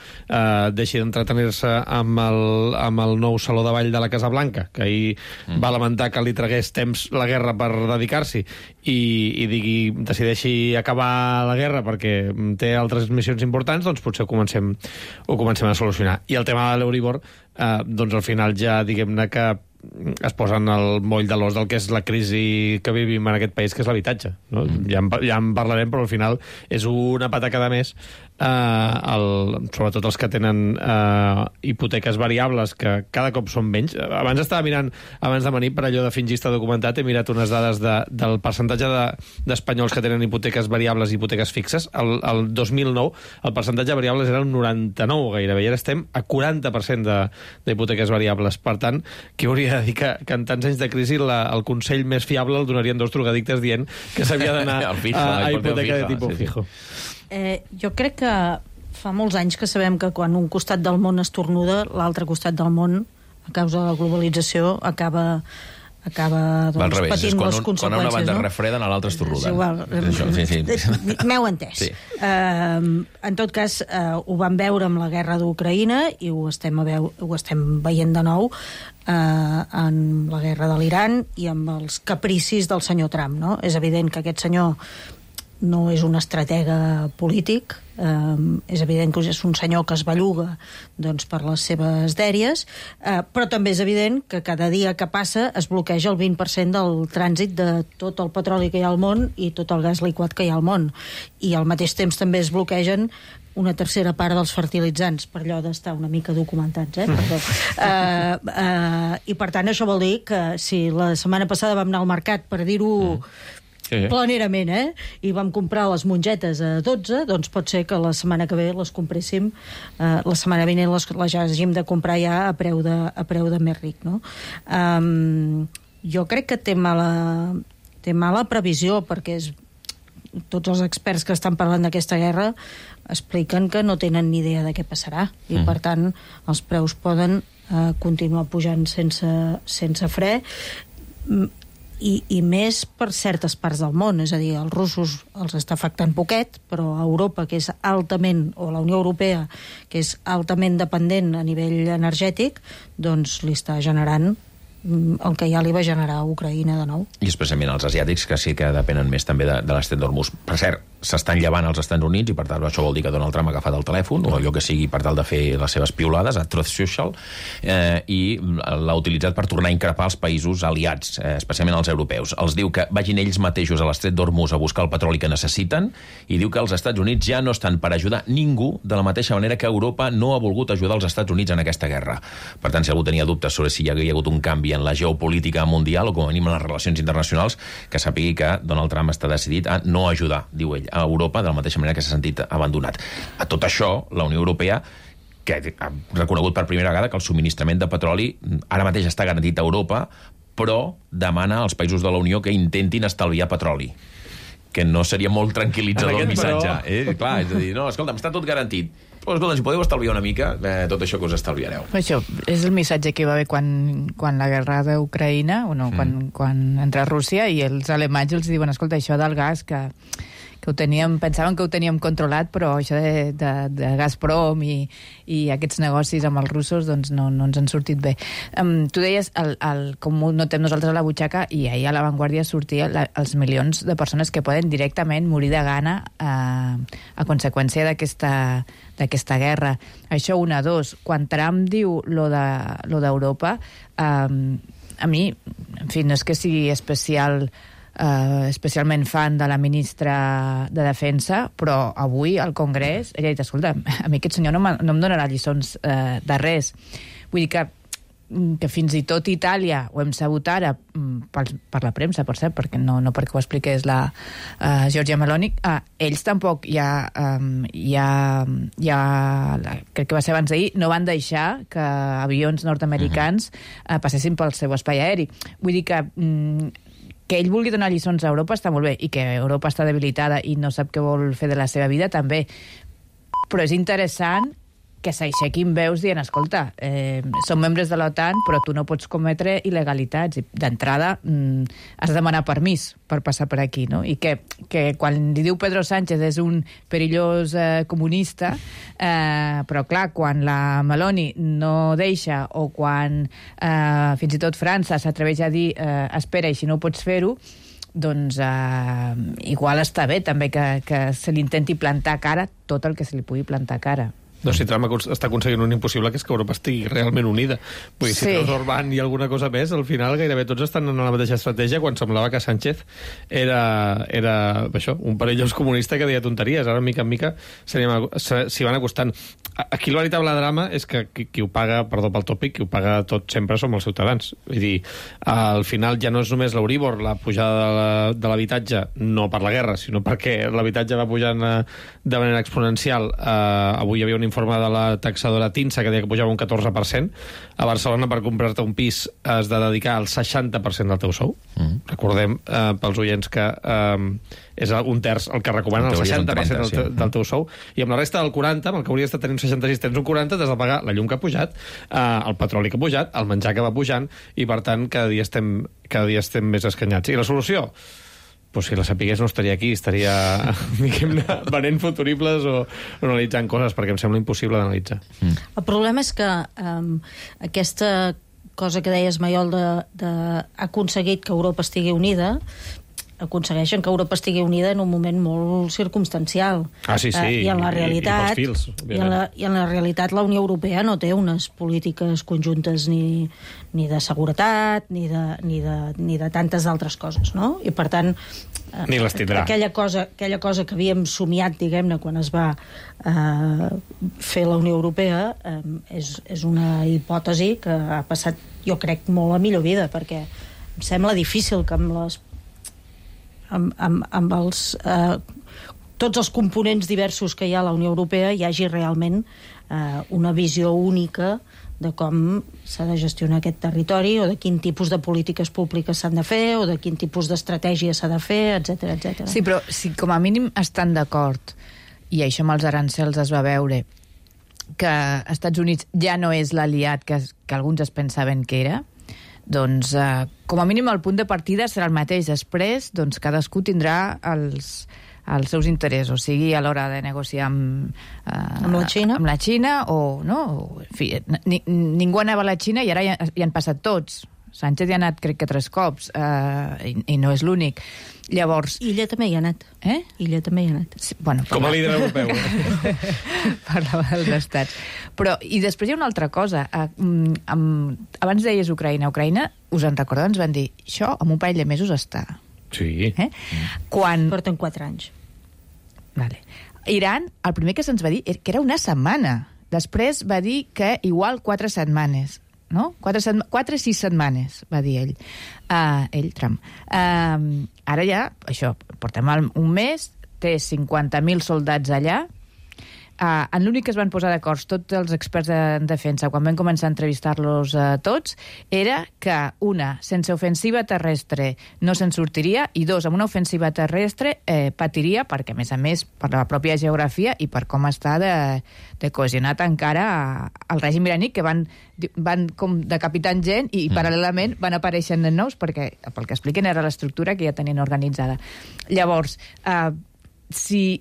S9: deixi d'entretenir-se amb el nou saló de ball de la Casa Blanca, que ahir va lamentar que li tragués temps la guerra per dedicar-s'hi, i decideixi acabar la guerra perquè té altres missions importants, doncs potser ho comencem a solucionar. I el tema de l'Euribor, doncs al final ja diguem-ne que es posen el moll de l'os del que és la crisi que vivim en aquest país, que és l'habitatge, no? Ja en parlarem, però al final és una patacada més, sobretot els que tenen hipoteques variables, que cada cop són menys. Abans estava mirant, abans de venir, per allò de fingista documentat, he mirat unes dades del percentatge d'espanyols que tenen hipoteques variables i hipoteques fixes. El 2009 el percentatge de variables era un 99 gairebé, i ara estem a 40% d'hipoteques variables. Per tant, qui hauria de dir que en tants anys de crisi el consell més fiable el donarien dos drogadictes dient que s'havia d'anar a hipoteca de tipus fijo.
S10: Jo crec que fa molts anys que sabem que quan un costat del món estornuda, l'altre costat del món, a causa de la globalització, acaba doncs, patint les conseqüències.
S1: Quan una banda refreden, a l'altra estornuden.
S10: M'heu entès. Sí. En tot cas, ho vam veure amb la guerra d'Ucraïna i ho estem veient de nou en la guerra de l'Iran i amb els capricis del senyor Trump, no? És evident que aquest senyor no és un estratega polític, és evident que és un senyor que es belluga doncs, per les seves dèries, però també és evident que cada dia que passa es bloqueja el 20% del trànsit de tot el petroli que hi ha al món i tot el gas liquat que hi ha al món. I al mateix temps també es bloquegen una tercera part dels fertilitzants, per allò d'estar una mica documentats, perdó. I per tant això vol dir que si la setmana passada vam anar al mercat, per dir-ho planerament, i vam comprar les mongetes a 12, doncs pot ser que la setmana que ve les compréssim, la setmana vinent les hàgim de comprar ja a preu de més ric, no? Jo crec que té mala previsió, perquè tots els experts que estan parlant d'aquesta guerra expliquen que no tenen ni idea de què passarà, i per tant els preus poden continuar pujant sense fre, i més per certes parts del món, és a dir, als russos els està afectant poquet, però a Europa, que és altament, o la Unió Europea, que és altament dependent a nivell energètic, doncs li està generant el que ja li va generar a Ucraïna de nou.
S1: I especialment els asiàtics, que sí que depenen més també de l'estret d'Hormuz. Per cert, s'estan llevant als Estats Units i per tant això vol dir que Donald Trump ha agafat el telèfon o allò que sigui per tal de fer les seves piulades a Truth Social, i l'ha utilitzat per tornar a increpar els països aliats, especialment els europeus. Els diu que vagin ells mateixos a l'estret d'Hormuz a buscar el petroli que necessiten, i diu que els Estats Units ja no estan per ajudar ningú, de la mateixa manera que Europa no ha volgut ajudar els Estats Units en aquesta guerra. Per tant, si algú tenia dubtes sobre si hi havia hagut un canvi en la geopolítica mundial o com a mínim en les relacions internacionals, que sàpigui que Donald Trump està decidit a no ajudar, diu ell, a Europa, de la mateixa manera que s'ha sentit abandonat. A tot això, la Unió Europea, que ha reconegut per primera vegada que el subministrament de petroli ara mateix està garantit a Europa, però demana als països de la Unió que intentin estalviar petroli, que no seria molt tranquil·litzador el missatge. Clar, és a dir, no, escolta'm, està tot garantit. Però, escolta, si podeu estalviar una mica, tot això que us estalviareu.
S8: Això és el missatge que hi va haver quan la guerra d'Ucraïna, quan entra Rússia, i els alemanys els diuen, escolta, això del gas, que pensaven que ho teníem controlat, però això de Gazprom i aquests negocis amb els russos doncs no ens han sortit bé. Tu deies com ho notem nosaltres a la butxaca, i ahir a La Vanguardia sortia els milions de persones que poden directament morir de gana a conseqüència d'aquesta guerra. Això, una, dos, quan Trump diu lo d'Europa, a mi, en fi, no és que sigui especialment fan de la ministra de Defensa, però avui al Congrés ella ha dit, escolta, a mi aquest senyor no em donarà lliçons de res. Vull dir que fins i tot Itàlia, ho hem sabut ara per la premsa, per cert, perquè no perquè ho expliqués la Giorgia Meloni, ells tampoc crec que va ser abans d'ahir, no van deixar que avions nord-americans passessin pel seu espai aeri. Vull dir que ell vulgui donar lliçons a Europa està molt bé, i que Europa està debilitada i no sap què vol fer de la seva vida també, però és interessant que s'aixequin veus dient, escolta, som membres de l'OTAN, però tu no pots cometre il·legalitats. D'entrada, has de demanar permís per passar per aquí, no? I que quan li diu Pedro Sánchez és un perillós comunista, però clar, quan la Meloni no deixa, o quan fins i tot França s'atreveix a dir espera, i si no pots fer-ho, doncs igual està bé també que se li intenti plantar cara tot el que se li pugui plantar cara.
S9: No, si Trump està aconseguint un impossible, que és que Europa estigui realment unida. Vull dir, si treus Orbán i alguna cosa més, al final gairebé tots estan en la mateixa estratègia, quan semblava que Sánchez era això, un perillós comunista que deia tonteries. Ara, mica en mica, s'hi van acostant. Aquí el veritable drama és que qui ho paga, perdó pel tòpic, qui ho paga tot sempre som els ciutadans. Vull dir, al final ja no és només l'Euríbor, la pujada de l'habitatge, no per la guerra, sinó perquè l'habitatge va pujant de manera exponencial. Avui hi havia un informe de la taxadora TINSA que deia que pujava un 14%. A Barcelona, per comprar-te un pis, has de dedicar el 60% del teu sou. Recordem, pels oients, que és un terç el que recomanen, el 60% del teu sou. I amb la resta del 40%, amb el que hauries de tenir un 66, tens un 40%, t'has de pagar la llum que ha pujat, el petroli que ha pujat, el menjar que va pujant, i per tant cada dia estem més escanyats. I la solució? Pues si la sapigués no estaria aquí, estaria venent futuribles o analitzant coses, perquè em sembla impossible d'analitzar.
S10: El problema és que aquesta cosa que deies, Maiol, ha aconseguit que Europa estigui unida, aconsegueixen que Europa estigui unida en un moment molt circumstancial.
S9: Sí.
S10: I en la realitat,
S9: i pels fils,
S10: i en la realitat la Unió Europea no té unes polítiques conjuntes ni de seguretat, ni de tantes altres coses, no? I per tant,
S9: ni les tindrà.
S10: Aquella cosa que havíem somiat, diguem-ne, quan es va fer la Unió Europea, és una hipòtesi que ha passat, jo crec, molt a millor vida, perquè em sembla difícil que amb tots els components diversos que hi ha a la Unió Europea hi hagi realment una visió única de com s'ha de gestionar aquest territori, o de quin tipus de polítiques públiques s'han de fer, o de quin tipus d'estratègia s'ha de fer, etc.
S8: Sí, però si com a mínim estan d'acord, i això amb els arancels es va veure, que Estats Units ja no és l'aliat que alguns es pensaven que era, doncs com a mínim el punt de partida serà el mateix. Després, doncs, cadascú tindrà els seus interessos, sigui a l'hora de negociar amb la Xina o no, en fi, ningú anava a la Xina i ara ja han passat tots. Sánchez hi ha anat, crec que 3 cops, i no és l'únic. Llavors...
S10: Illa també hi ha anat. Illa també hi ha anat.
S8: Sí, bueno,
S9: com a líder europeu.
S8: Parlava dels estats. Però, i després hi ha una altra cosa. Abans deies Ucraïna. Ucraïna, us en recordeu, ens van dir, això en un parell de mesos està.
S9: Sí.
S10: Porten 4 anys.
S8: Vale. Iran, el primer que se'ns va dir que era una setmana. Després va dir que igual 4 setmanes. No? 4 o 6 setmanes, va dir ell. Trump. Ara ja, això, portem un mes, té 50.000 soldats allà. En l'únic que es van posar d'acord tots els experts en defensa quan vam començar a entrevistar-los tots era que, una, sense ofensiva terrestre no se'n sortiria, i 2, amb una ofensiva terrestre patiria, perquè a més per la pròpia geografia i per com està de cohesionat encara el règim iraní, que van com decapitant gent i paral·lelament van apareixent de nous, perquè pel que expliquen era l'estructura que ja tenien organitzada. Llavors, si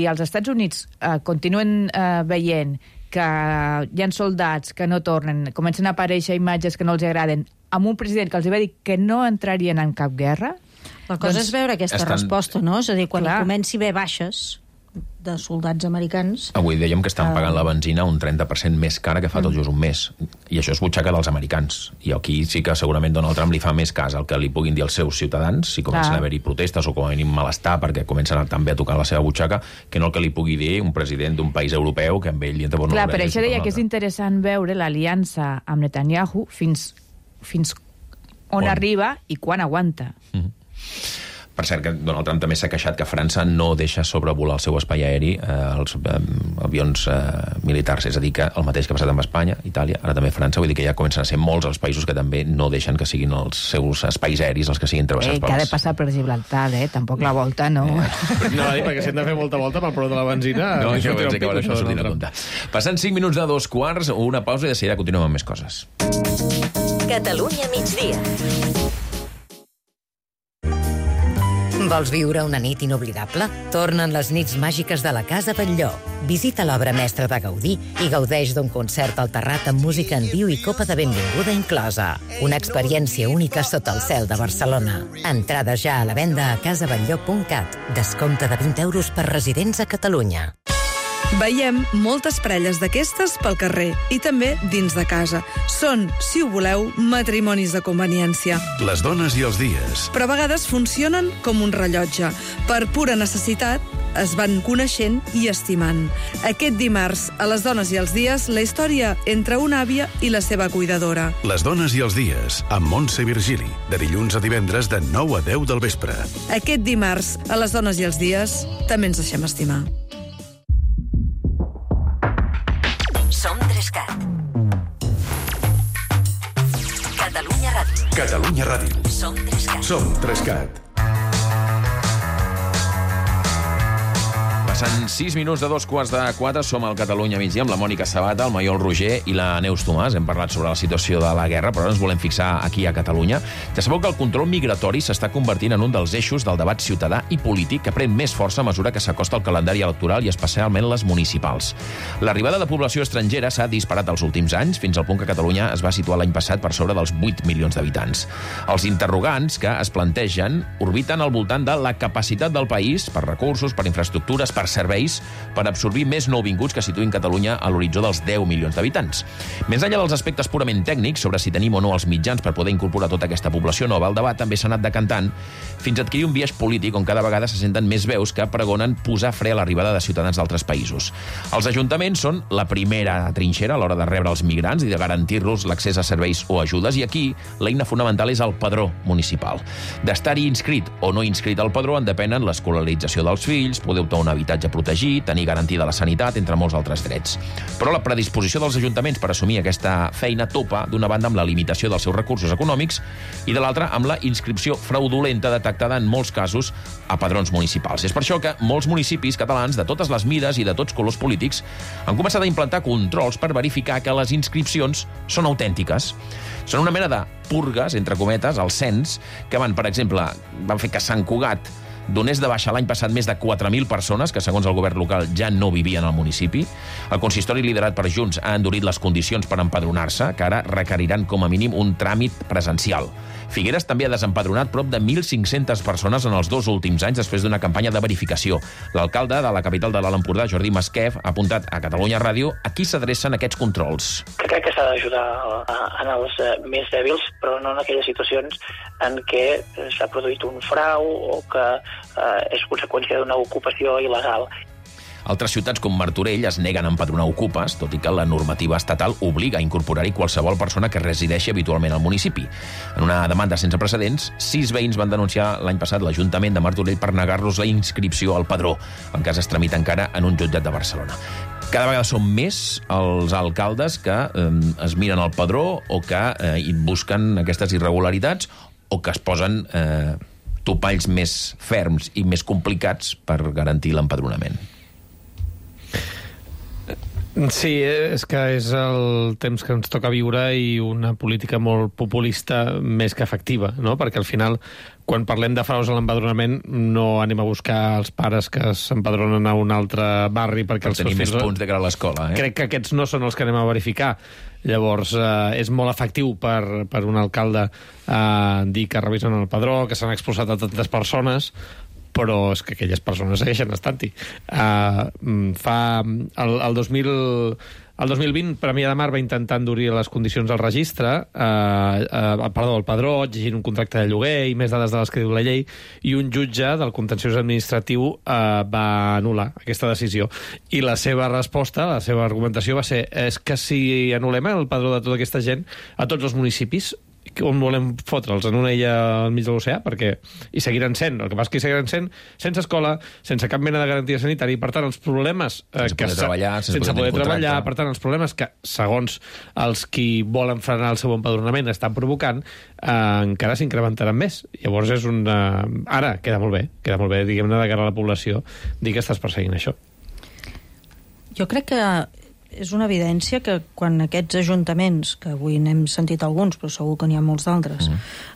S8: els Estats Units continuen veient que hi ha soldats que no tornen, comencen a aparèixer imatges que no els agraden, amb un president que els va dir que no entrarien en cap guerra...
S10: La cosa és veure aquesta resposta, no? És a dir, quan comenci a haver baixes, de soldats americans.
S1: Avui dèiem que estan pagant la benzina un 30% més cara que fa tot just un mes. I això és butxaca dels americans. I aquí sí que segurament Donald Trump li fa més cas al que li puguin dir els seus ciutadans, si comencen a haver-hi protestes o com a mínim malestar perquè comencen també a tocar la seva butxaca, que no el que li pugui dir un president d'un país europeu que amb ell li entra per una
S8: Clar,
S1: orella.
S8: per això deia que és interessant veure l'aliança amb Netanyahu fins on arriba i quan aguanta.
S1: Per cert, que Donald Trump també s'ha queixat que França no deixa sobrevolar el seu espai aeri els avions militars, és a dir, que el mateix que ha passat amb Espanya, Itàlia, ara també França, vull dir que ja comencen a ser molts els països que també no deixen que siguin els seus espais aeris els que siguin travessats
S8: que ha de passar per Gibraltar, tampoc la volta, no.
S9: No, perquè si hem de fer molta volta pel preu de la benzina...
S1: No, això pensa que això no sortirà a comptar. Passant 5 minuts de 2:15, una pausa i de seguida continuem amb més coses.
S7: Catalunya migdia. Vols viure una nit inoblidable? Tornen les nits màgiques de la Casa Batlló. Visita l'obra mestra de Gaudí i gaudeix d'un concert al terrat amb música en viu i copa de benvinguda inclosa. Una experiència única sota el cel de Barcelona. Entrades ja a la venda a casabatlló.cat. Descompte de 20 euros per residents a Catalunya.
S16: Veiem moltes parelles d'aquestes pel carrer i també dins de casa. Són, si ho voleu, matrimonis de conveniència.
S2: Les dones i els dies.
S16: Però a vegades funcionen com un rellotge. Per pura necessitat, es van coneixent i estimant. Aquest dimarts, a Les dones i els dies, la història entre una àvia i la seva cuidadora.
S2: Les dones i els dies, amb Montse Virgili, de dilluns a divendres de 9 a 10 del vespre.
S16: Aquest dimarts, a Les dones i els dies, també ens deixem estimar.
S7: Som 3CAT. Catalunya Ràdio.
S2: Catalunya Ràdio.
S7: Som 3CAT.
S2: Som 3CAT.
S1: Passen 6 minuts de 3:45, som al Catalunya migdia amb la Mònica Sabata, el Maiol Roger i la Neus Tomàs. Hem parlat sobre la situació de la guerra, però ara ens volem fixar aquí a Catalunya. Ja sabeu que el control migratori s'està convertint en un dels eixos del debat ciutadà i polític que pren més força a mesura que s'acosta el calendari electoral i especialment les municipals. L'arribada de població estrangera s'ha disparat els últims anys, fins al punt que Catalunya es va situar l'any passat per sobre dels 8 milions d'habitants. Els interrogants que es plantegen orbiten al voltant de la capacitat del país per recursos, per infraestructures, per serveis, per absorbir més nouvinguts que situïn Catalunya a l'horitzó dels 10 milions d'habitants. Més enllà dels aspectes purament tècnics sobre si tenim o no els mitjans per poder incorporar tota aquesta població nova, el debat també s'ha anat decantant fins a adquirir un biaix polític on cada vegada se senten més veus que pregonen posar fre a l'arribada de ciutadans d'altres països. Els ajuntaments són la primera trinxera a l'hora de rebre els migrants i de garantir-los l'accés a serveis o ajudes, i aquí l'eina fonamental és el padró municipal. D'estar-hi inscrit o no inscrit al padró en depenen l'escolarització dels fills, poder optar a un habitatge protegit, tenir garantida la sanitat, entre molts altres drets. Però la predisposició dels ajuntaments per assumir aquesta feina topa, d'una banda amb la limitació dels seus recursos econòmics i de l'altra amb la inscripció fraudulenta detectada en molts casos a padrons municipals. És per això que molts municipis catalans de totes les mides i de tots colors polítics han començat a implantar controls per verificar que les inscripcions són autèntiques. Són una mena de purgues, entre cometes, al cens, que van fer que Sant Cugat donés de baixa l'any passat més de 4.000 persones que, segons el govern local, ja no vivien al municipi. El consistori liderat per Junts ha endurit les condicions per empadronar-se, que ara requeriran com a mínim un tràmit presencial. Figueres també ha desempadronat prop de 1.500 persones en els 2 últims anys després d'una campanya de verificació. L'alcalde de la capital de l'Alt Empordà, Jordi Masquef, ha apuntat a Catalunya Ràdio a qui s'adrecen aquests controls.
S17: Crec que s'ha d'ajudar en els més dèbils, però no en aquelles situacions en què s'ha produït un frau o que és conseqüència d'una ocupació il·legal.
S1: Altres ciutats com Martorell es neguen a empadronar ocupes, tot i que la normativa estatal obliga a incorporar-hi qualsevol persona que resideixi habitualment al municipi. En una demanda sense precedents, 6 veïns van denunciar l'any passat l'Ajuntament de Martorell per negar-los la inscripció al padró. El cas es tramita encara en un jutjat de Barcelona. Cada vegada són més els alcaldes que es miren al padró o que busquen aquestes irregularitats o que es posen topalls més ferms i més complicats per garantir l'empadronament.
S9: Sí, és que és el temps que ens toca viure i una política molt populista més que efectiva, no? Perquè al final, quan parlem de fraus a l'empadronament, no anem a buscar els pares que s'empadronen a un altre barri perquè els seus fills...
S1: Tenir més punts de cara a l'escola,
S9: Crec que aquests no són els que anem a verificar. Llavors, és molt efectiu per un alcalde dir que revisen el padró, que s'han expulsat a tantes persones, però és que aquelles persones segueixen estant-hi. El 2020, Premià de Mar va intentar endurir les condicions del registre, el padró, exigint un contracte de lloguer i més dades de les que diu la llei, i un jutge del contenciós administratiu va anul·lar aquesta decisió. I la seva resposta, la seva argumentació va ser és que si anul·lem el padró de tota aquesta gent a tots els municipis, on volem fotre'ls, en una illa al mig de l'oceà, perquè hi seguiran sent. El que passa és que hi seguiran sent sense escola, sense cap mena de garantia sanitària, i per tant els problemes
S1: sense poder
S9: treballar, per tant els problemes que, segons els qui volen frenar el seu empadronament, estan provocant, encara s'incrementaran més. Llavors és ara queda molt bé, diguem-ne, de cara a la població, dir que estàs perseguint això.
S10: Jo crec que és una evidència que quan aquests ajuntaments, que avui n'hem sentit alguns, però segur que n'hi ha molts d'altres,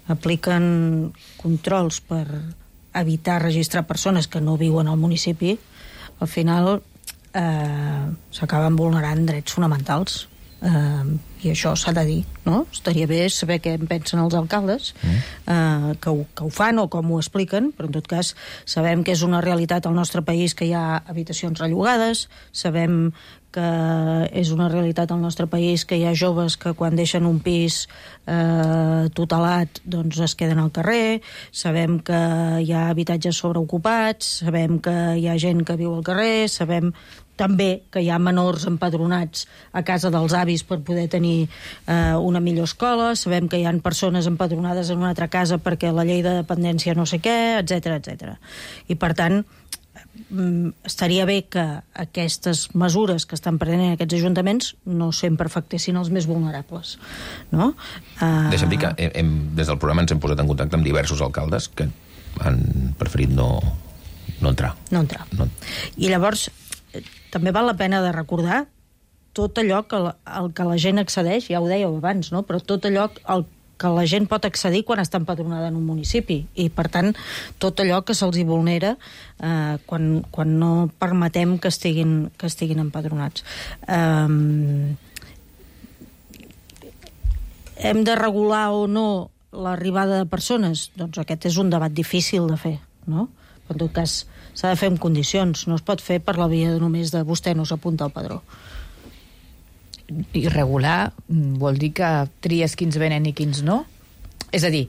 S10: apliquen controls per evitar registrar persones que no viuen al municipi, al final s'acaben vulnerant drets fonamentals. I això s'ha de dir, no? Estaria bé saber què en pensen els alcaldes, que ho fan o com ho expliquen, però en tot cas sabem que és una realitat al nostre país que hi ha habitacions rellogades, sabem que és una realitat al nostre país que hi ha joves que quan deixen un pis tutelat doncs es queden al carrer, sabem que hi ha habitatges sobreocupats, sabem que hi ha gent que viu al carrer, sabem també que hi ha menors empadronats a casa dels avis per poder tenir una millor escola, sabem que hi ha persones empadronades en una altra casa perquè la llei de dependència no sé què, etc. I per tant, estaria bé que aquestes mesures que estan prenent aquests ajuntaments no sempre afectessin els més vulnerables, no?
S1: Deixa'm dir que des del programa ens hem posat en contacte amb diversos alcaldes que han preferit no entrar.
S10: I llavors també val la pena de recordar tot allò al que la gent accedeix, ja ho dèieu abans, no? Però tot allò al que la gent pot accedir quan està empadronada en un municipi, i per tant tot allò que se'ls hi vulnera quan no permetem que estiguin empadronats. Hem de regular o no l'arribada de persones? Doncs aquest és un debat difícil de fer, no? En tot cas, s'ha de fer amb condicions. No es pot fer per la via només de vostè no s'apunta al padró.
S8: I regular vol dir que tries quins venen i quins no? És a dir,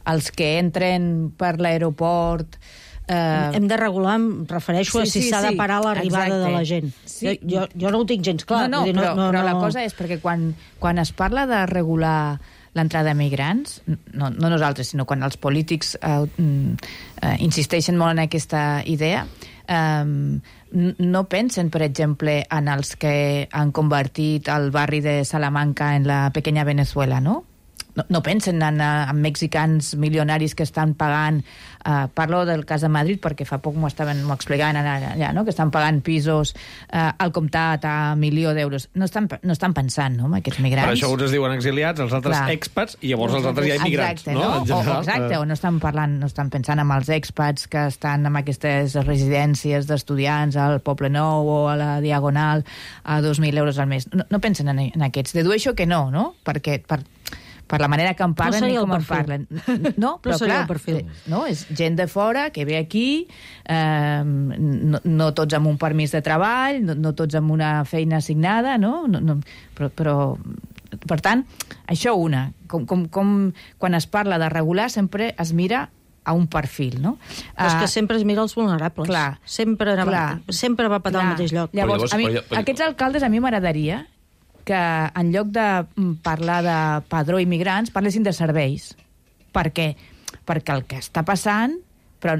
S8: els que entren per l'aeroport...
S10: Hem de regular, em refereixo a si s'ha de parar l'arribada de la gent. Jo no ho tinc gens clar.
S8: Però la cosa és perquè quan es parla de regular l'entrada de migrants, no nosaltres, sinó quan els polítics insisteixen molt en aquesta idea, no pensen, per exemple, en els que han convertit el barri de Salamanca en la pequeña Venezuela, no? No pensen en mexicans milionaris que estan pagant, parlo del cas de Madrid perquè fa poc m'ho explicaven allà, no? Que estan pagant pisos al comptat a 1.000.000 d'euros. No estan pensant, no?, en aquests migrants.
S9: Per això uns es diuen exiliats, els altres expats, i llavors els altres ja immigrants.
S8: Exacte, no? Exacte, o no estan pensant en els expats que estan en aquestes residències d'estudiants al Poble Nou o a la Diagonal a 2.000 euros al mes. No pensen en aquests. Dedueixo que no? Perquè per la manera que en parlen i com en parlen. No, però clar, no, és gent de fora que ve aquí, no tots amb un permís de treball, no tots amb una feina assignada, no? Però per tant, això com quan es parla de regular sempre es mira a un perfil, no?
S10: És que sempre es mira els vulnerables.
S8: Clar.
S10: Sempre va patar al mateix lloc.
S8: Llavors, aquests alcaldes a mi m'agradaria que en lloc de parlar de padró immigrants parlessin de serveis. Per què? Perquè el que està passant, però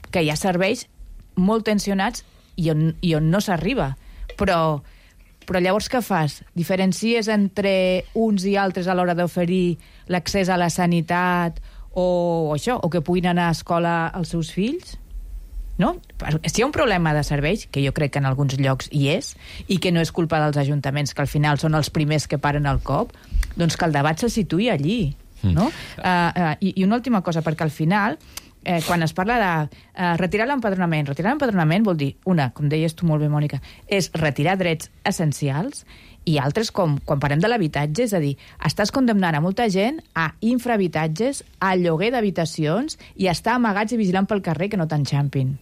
S8: que hi ha serveis molt tensionats i on no s'arriba. Però llavors què fas? Diferencies entre uns i altres a l'hora d'oferir l'accés a la sanitat o que puguin anar a escola els seus fills? No? Si hi ha un problema de serveis, que jo crec que en alguns llocs hi és, i que no és culpa dels ajuntaments, que al final són els primers que paren el cop, doncs que el debat se situï allí. No? I una última cosa, perquè al final quan es parla de retirar l'empadronament vol dir, una, com deies tu molt bé, Mònica, és retirar drets essencials, i altres, com quan parlem de l'habitatge, és a dir, estàs condemnant a molta gent a infrahabitatges, a lloguer d'habitacions i a estar amagats i vigilant pel carrer que no t'enxampin.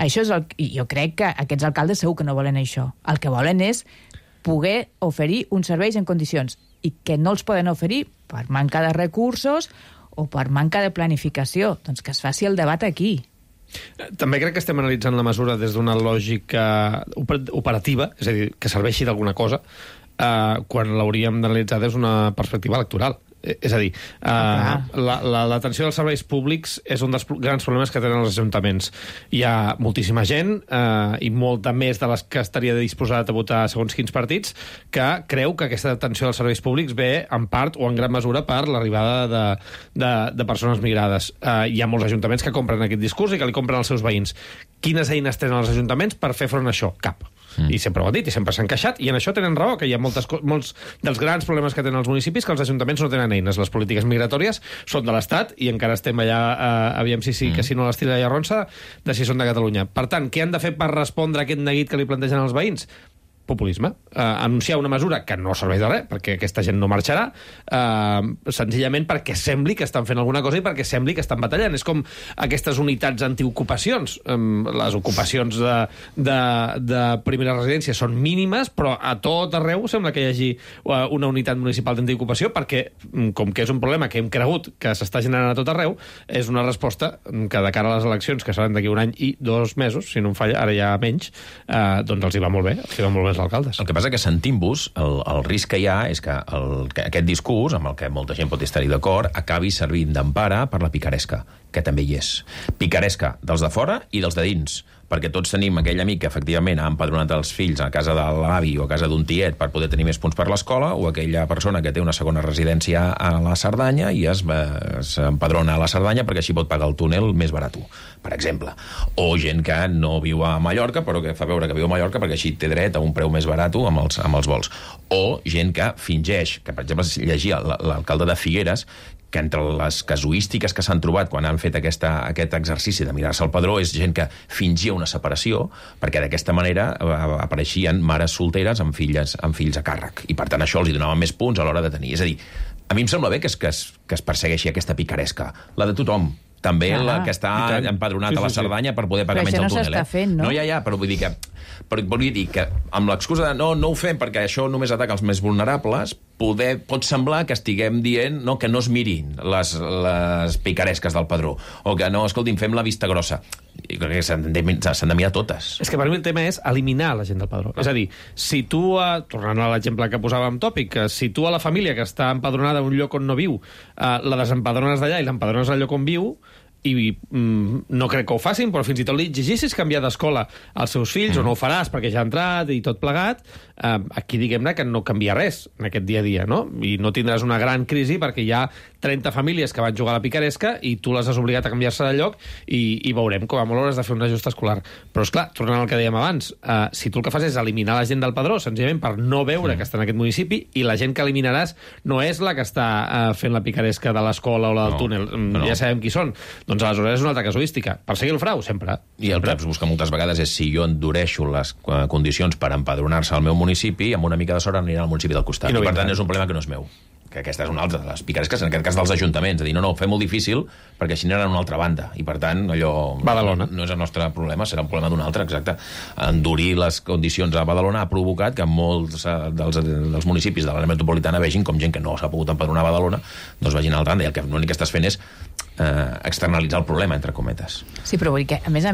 S8: Això és jo crec que aquests alcaldes segur que no volen això. El que volen és poder oferir uns serveis en condicions i que no els poden oferir per manca de recursos o per manca de planificació. Doncs que es faci el debat aquí.
S9: També crec que estem analitzant la mesura des d'una lògica operativa, és a dir, que serveixi d'alguna cosa, quan l'hauríem d'analitzar des d'una perspectiva electoral. És a dir, l'atenció dels serveis públics és un dels grans problemes que tenen els ajuntaments. Hi ha moltíssima gent, i molta més de les que estaria disposat a votar segons quins partits, que creu que aquesta atenció dels serveis públics ve en part o en gran mesura per l'arribada de persones migrades. Hi ha molts ajuntaments que compren aquest discurs i que li compren als seus veïns. Quines eines tenen els ajuntaments per fer front a això? Cap. I sempre ho han dit, i sempre s'han queixat, i en això tenen raó, que hi ha molts dels grans problemes que tenen els municipis, que els ajuntaments no tenen eines. Les polítiques migratòries són de l'Estat, i encara estem allà, aviam si sí, que si no les tira allà ronça, de si són de Catalunya. Per tant, què han de fer per respondre a aquest neguit que li plantegen els veïns? Populisme. Anunciar una mesura que no serveix de res, perquè aquesta gent no marxarà, senzillament perquè sembli que estan fent alguna cosa i perquè sembli que estan batallant. És com aquestes unitats antiocupacions. Les ocupacions de primera residència són mínimes, però a tot arreu sembla que hi hagi una unitat municipal d'antiocupació, perquè, com que és un problema que hem cregut que s'està generant a tot arreu, és una resposta que de cara a les eleccions, que seran d'aquí un any i 2 mesos, si no em falla, ara ja menys, doncs els hi va molt bé, els hi va molt bé als alcaldes.
S1: El que passa que sentint-vos, el risc que hi ha és que aquest discurs, amb el que molta gent pot estar-hi d'acord, acabi servint d'empara per la picaresca, que també hi és. Picaresca dels de fora i dels de dins, perquè tots tenim aquell amic que efectivament ha empadronat els fills a casa de l'avi o a casa d'un tiet per poder tenir més punts per l'escola, o aquella persona que té una segona residència a la Cerdanya i s'empadrona a la Cerdanya perquè així pot pagar el túnel més barat, per exemple. O gent que no viu a Mallorca però que fa veure que viu a Mallorca perquè així té dret a un preu més barat amb els vols. O gent que fingeix, que per exemple llegia l'alcalde de Figueres, que entre les casuístiques que s'han trobat quan han fet aquest exercici de mirar-se el padró és gent que fingia una separació perquè d'aquesta manera apareixien mares solteres amb fills a càrrec. I per tant això els hi donava més punts a l'hora de tenir. És a dir, a mi em sembla bé que es persegueixi aquesta picaresca, la de tothom. També la que està empadronat a la Cerdanya per poder pagar menys el túnel.
S8: Però això no s'està fent, no?
S1: Ja, però vull dir que amb l'excusa de no ho fem perquè això només ataca els més vulnerables, pot semblar que estiguem dient que no es mirin les picaresques del padró, o que no, escolti'm, fem la vista grossa. I crec que s'han de mirar totes.
S9: És que per mi el tema és eliminar la gent del padró. És a dir, si tu, tornant a l'exemple que posàvem tòpic, si tu a la família que està empadronada a un lloc on no viu, la desempadrones d'allà i l'empadrones al lloc on viu, i no crec que ho facin, però fins i tot li exigissis canviar d'escola als seus fills, o no ho faràs perquè ja ha entrat i tot plegat, aquí diguem-ne que no canvia res en aquest dia a dia, no? I no tindràs una gran crisi perquè hi ha 30 famílies que van jugar a la picaresca i tu les has obligat a canviar-se de lloc i veurem com a molt hauràs de fer un ajust escolar. Però, esclar, tornant al que dèiem abans, si tu el que fas és eliminar la gent del padró, senzillament per no veure que està en aquest municipi, i la gent que eliminaràs no és la que està fent la picaresca de l'escola o la del túnel, ja sabem qui són. Doncs aleshores és una altra casuística. Perseguir el frau, sempre.
S1: I el que es busca moltes vegades és si jo endureixo les condicions per empadronar-se al meu municipi, amb una mica de sort anirà al municipi del costat. I per tant és un problema que no és meu. Que aquesta és una altra de les picaresques, en aquest cas dels ajuntaments. És a dir, no, ho fem molt difícil perquè així aniran a una altra banda. I per tant, allò
S9: Badalona.
S1: No és el nostre problema, serà un problema d'un altre, exacte. Endurir les condicions a Badalona ha provocat que molts dels municipis de l'àrea metropolitana vegin com gent que no s'ha pogut empadronar a Badalona doncs vagin a l'altra banda. I el que l'únic que estàs fent és externalitzar el problema, entre cometes.
S8: Sí, però vull dir que, a més,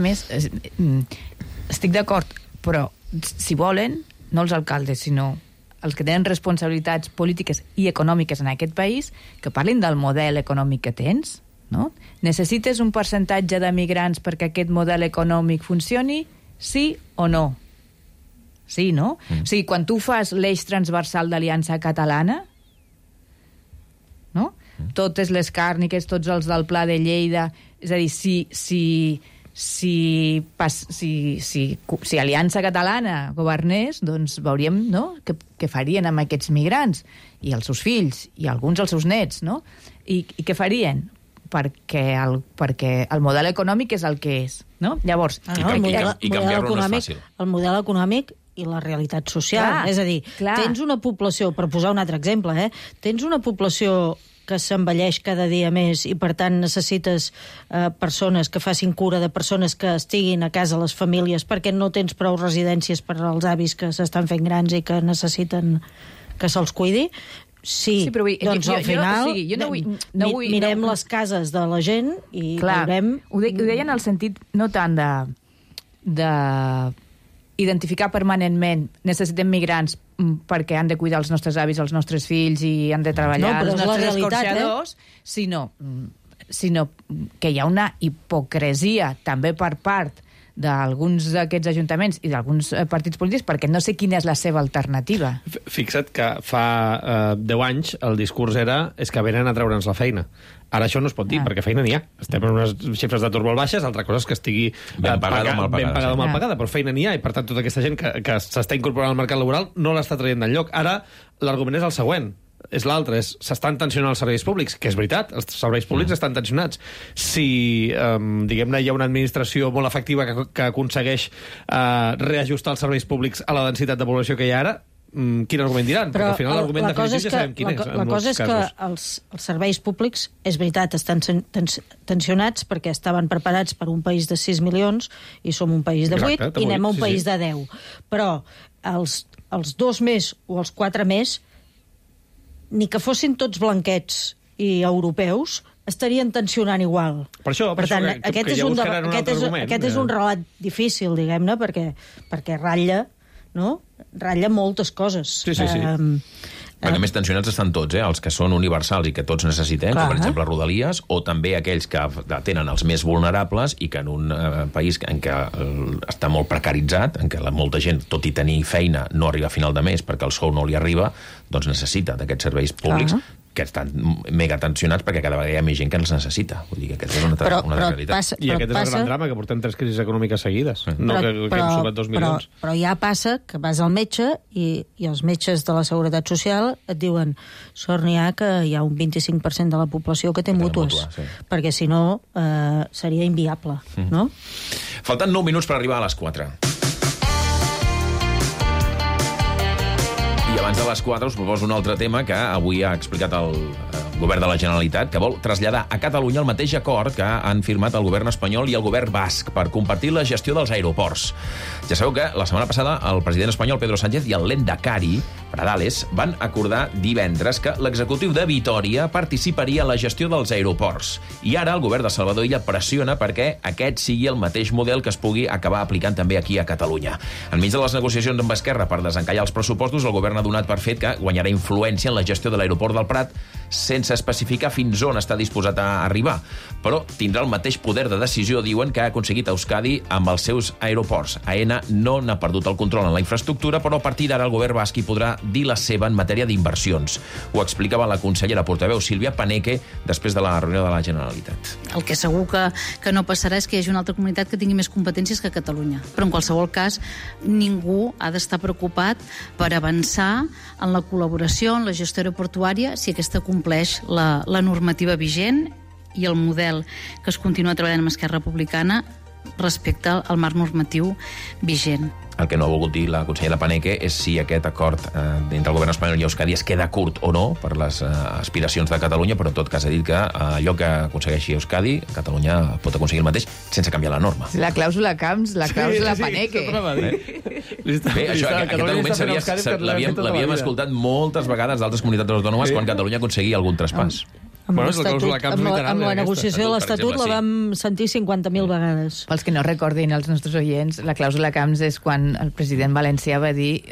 S8: estic d'acord, però si volen, no els alcaldes, sinó els que tenen responsabilitats polítiques i econòmiques en aquest país, que parlin del model econòmic que tens, no? Necessites un percentatge de migrants perquè aquest model econòmic funcioni? Sí o no? Sí, no? O sigui, quan tu fas l'eix transversal d'Aliança Catalana, no? Totes les càrniques, tots els del Pla de Lleida, és a dir, si Aliança Catalana governés, doncs veuríem, no?, què farien amb aquests migrants i els seus fills i alguns els seus nets, no? I què farien? perquè el model econòmic és el que és, no? Llavors...
S1: I canviar-lo no és fàcil.
S10: El model econòmic i la realitat social.
S8: Clar,
S10: és a dir, tens una població, per posar un altre exemple, tens una població que s'envelleix cada dia més i, per tant, necessites persones que facin cura de persones que estiguin a casa, les famílies, perquè no tens prou residències per als avis que s'estan fent grans i que necessiten que se'ls cuidi. Sí, però doncs al final mirem les cases de la gent i veurem...
S8: Ho deia en el sentit no tant de identificar permanentment necessitem migrants perquè han de cuidar els nostres avis, els nostres fills i han de treballar els nostres escorxadors, sinó que hi ha una hipocresia també per part d'alguns d'aquests ajuntaments i d'alguns partits polítics perquè no sé quina és la seva alternativa.
S9: Fixa't que fa 10 anys el discurs era és que venen a treure'ns la feina. Ara això no es pot dir, perquè feina n'hi ha. Estem en unes xifres d'atur molt baixes, altra cosa és que estigui
S1: ben pagada o
S9: mal pagada, però feina n'hi ha, i per tant tota aquesta gent que s'està incorporant al mercat laboral no l'està traient d'enlloc. Ara l'argument és el següent, és l'altre, s'estan tensionant els serveis públics, que és veritat, els serveis públics estan tensionats. Si, diguem-ne, hi ha una administració molt efectiva que aconsegueix reajustar els serveis públics a la densitat de població que hi ha ara, quin argument diran? Perquè al final l'argument definitiu ja sabem quin és.
S10: La cosa és que els serveis públics, és veritat, estan tensionats perquè estaven preparats per un país de 6 milions i som un país de 8 i anem a un país de 10. Però els 2 més o els 4 més, ni que fossin tots blanquets i europeus, estarien tensionant igual.
S9: Per tant,
S10: aquest és un relat difícil, diguem-ne, perquè ratlla, no? Ratlla moltes coses.
S1: Sí. Perquè més tensionats estan tots, els que són universals i que tots necessitem, com per exemple Rodalies, o també aquells que tenen els més vulnerables i que en un país en què està molt precaritzat, en què molta gent, tot i tenir feina, no arriba a final de mes perquè el sou no li arriba, doncs necessita d'aquests serveis públics que estan mega tensionats perquè cada vegada hi ha més gent que els necessita. Vull dir que aquesta és una realitat.
S9: I aquest és el gran drama, que portem 3 crisis econòmiques seguides. No que hem sumat 2 milions.
S10: Però ja passa que vas al metge i els metges de la Seguretat Social et diuen sort n'hi ha que hi ha un 25% de la població que té mútues, perquè si no seria inviable, no?
S1: Falten 9 minuts per arribar a les 4. I abans de les 4 us proposo un altre tema que avui ha explicat el govern de la Generalitat, que vol traslladar a Catalunya el mateix acord que han firmat el govern espanyol i el govern basc per compartir la gestió dels aeroports. Ja sabeu que la setmana passada el president espanyol Pedro Sánchez i el Lehendakari Pradales van acordar divendres que l'executiu de Vitòria participaria en la gestió dels aeroports. I ara el govern de Salvador Illa pressiona perquè aquest sigui el mateix model que es pugui acabar aplicant també aquí a Catalunya. Enmig de les negociacions amb Esquerra per desencallar els pressupostos, el govern ha donat per fet que guanyarà influència en la gestió de l'aeroport del Prat sense especificar fins on està disposat a arribar. Però tindrà el mateix poder de decisió, diuen, que ha aconseguit Euskadi amb els seus aeroports. AENA no n'ha perdut el control en la infraestructura, però a partir d'ara el govern basc hi podrà dir la seva en matèria d'inversions. Ho explicava la consellera portaveu Sílvia Paneque després de la reunió de la Generalitat.
S18: El que segur que no passarà és que hi hagi una altra comunitat que tingui més competències que Catalunya. Però en qualsevol cas, ningú ha d'estar preocupat per avançar en la col·laboració, en la gestió aeroportuària, si aquesta compleix la normativa vigent i el model que es continua treballant amb Esquerra Republicana respecte al marc normatiu vigent.
S1: El que no ha volgut dir la consellera Paneque és si aquest acord entre el govern espanyol i Euskadi es queda curt o no per les aspiracions de Catalunya, però en tot cas ha dit que allò que aconsegueixi Euskadi, Catalunya pot aconseguir el mateix sense canviar la norma.
S8: La clàusula Camps, la clàusula Paneque.
S1: Bé, això, aquest argument l'havíem escoltat moltes vegades d'altres comunitats autònomes quan Catalunya aconseguia algun traspàs.
S10: Amb la negociació de l'Estatut la vam sentir 50.000 vegades.
S8: Pels que no recordin els nostres oients, la clàusula Camps és quan el president valencià va dir,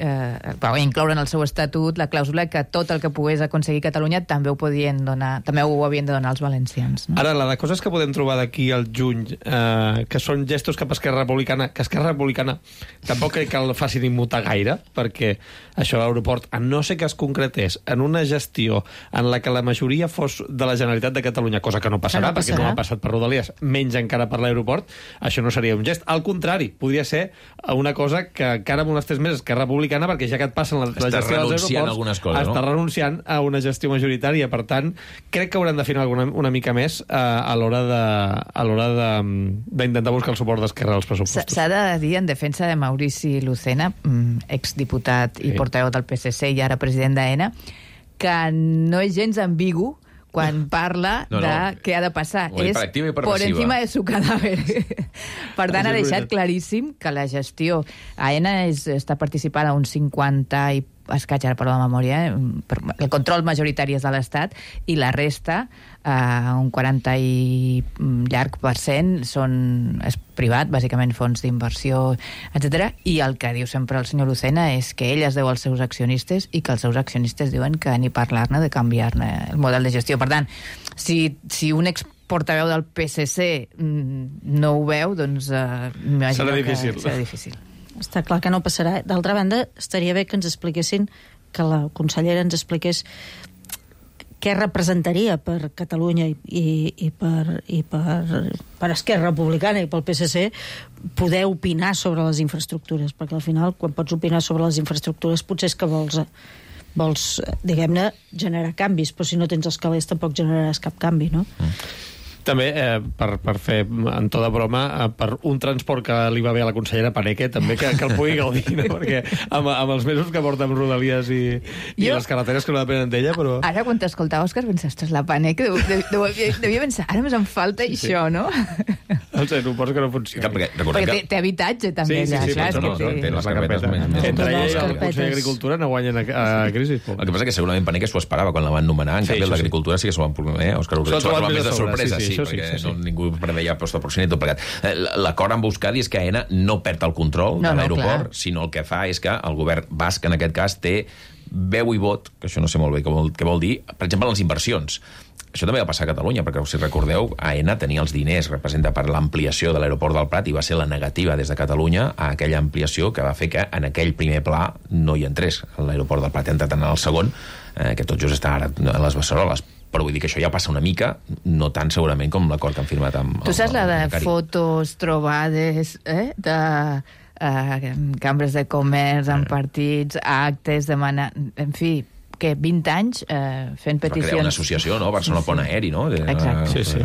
S8: va incloure en el seu estatut la clàusula que tot el que pogués aconseguir Catalunya també ho havien de donar els valencians. No?
S9: Ara, la de coses que podem trobar d'aquí al juny, que són gestos cap a Esquerra Republicana, que Esquerra Republicana tampoc crec que el facin immutar gaire, perquè això a l'aeroport, a no ser que es concretés en una gestió en la que la majoria fos de de la Generalitat de Catalunya, cosa que no passarà, perquè no ha passat per Rodalies, menys encara per l'aeroport, això no seria un gest. Al contrari, podria ser una cosa que encara molestés més Esquerra Republicana, perquè ja que et passen la gestió dels aeroports, està renunciant a una gestió majoritària. Per tant, crec que hauran d'afinar una mica més a l'hora d'intentar buscar el suport d'Esquerra als pressupostos.
S8: S'ha de dir, en defensa de Maurici Lucena, exdiputat i portaveu del PSC i ara president d'AENA, que no és gens ambigu quan parla de què ha de passar. És por encima de su cadáver. Per tant, ha deixat claríssim que la gestió... AENA està participada a un 50 i escaig, ara per la memòria, el control majoritari és de l'Estat, i la resta, un 40 i llarg %, és privat, bàsicament fons d'inversió, etc. I el que diu sempre el senyor Lucena és que ell es deu als seus accionistes i que els seus accionistes diuen que ni parlar-ne de canviar-ne el model de gestió. Per tant, si un exportaveu del PSC no ho veu, doncs m'imagino que serà difícil.
S10: Està clar que no passarà. D'altra banda, estaria bé que ens expliquessin, que la consellera ens expliqués què representaria per Catalunya i per Esquerra Republicana i pel PSC poder opinar sobre les infraestructures, perquè al final, quan pots opinar sobre les infraestructures, potser és que vols diguem-ne, generar canvis, però si no tens els calés tampoc generaràs cap canvi, no?
S9: També, per fer en to de broma, per un transport que li va bé a la consellera Paneque, també que el pugui gaudir, no? Perquè amb els mesos que porta amb Rodalies i les carreteres que no depenen d'ella, però...
S8: Ara, quan t'escoltava, Òscar, pensaves, ostres, la Paneque devia pensar, ara més em falta això, no?
S9: Els aeroports que no funcionen.
S8: Perquè té habitatge, també, allà.
S1: Té les carpetes més...
S9: Entre ella i el Consell d'Agricultura no guanyen a crisi.
S1: El que passa que segurament Paneque s'ho esperava quan la van nomenar, en canvi el d'Agricultura sí que s'ho van prometre, Òscar Ordeig s'ho va trobar més de sorpresa, sí, perquè ningú preveia posta proximitat i tot plegat. L'acord amb Euskadi és que AENA no perd el control de l'aeroport, sinó el que fa és que el govern basc, en aquest cas, té veu i vot, que això no sé molt bé què vol dir, per exemple, les inversions. Això també va passar a Catalunya, perquè, si recordeu, AENA tenia els diners, representa per l'ampliació de l'aeroport del Prat, i va ser la negativa des de Catalunya a aquella ampliació que va fer que en aquell primer pla no hi entrés l'aeroport del Prat. Entrat en el segon, que tot just està ara a les Beceroles. Però vull dir que això ja passa una mica, no tant segurament com l'acord que han firmat amb...
S8: Tu saps la de fotos trobades de cambres de comerç, en partits, actes, en fi, que 20 anys fent peticions...
S1: Crear una associació, no? Barcelona Pont Aeri, no?
S8: Exacte.
S9: Sí.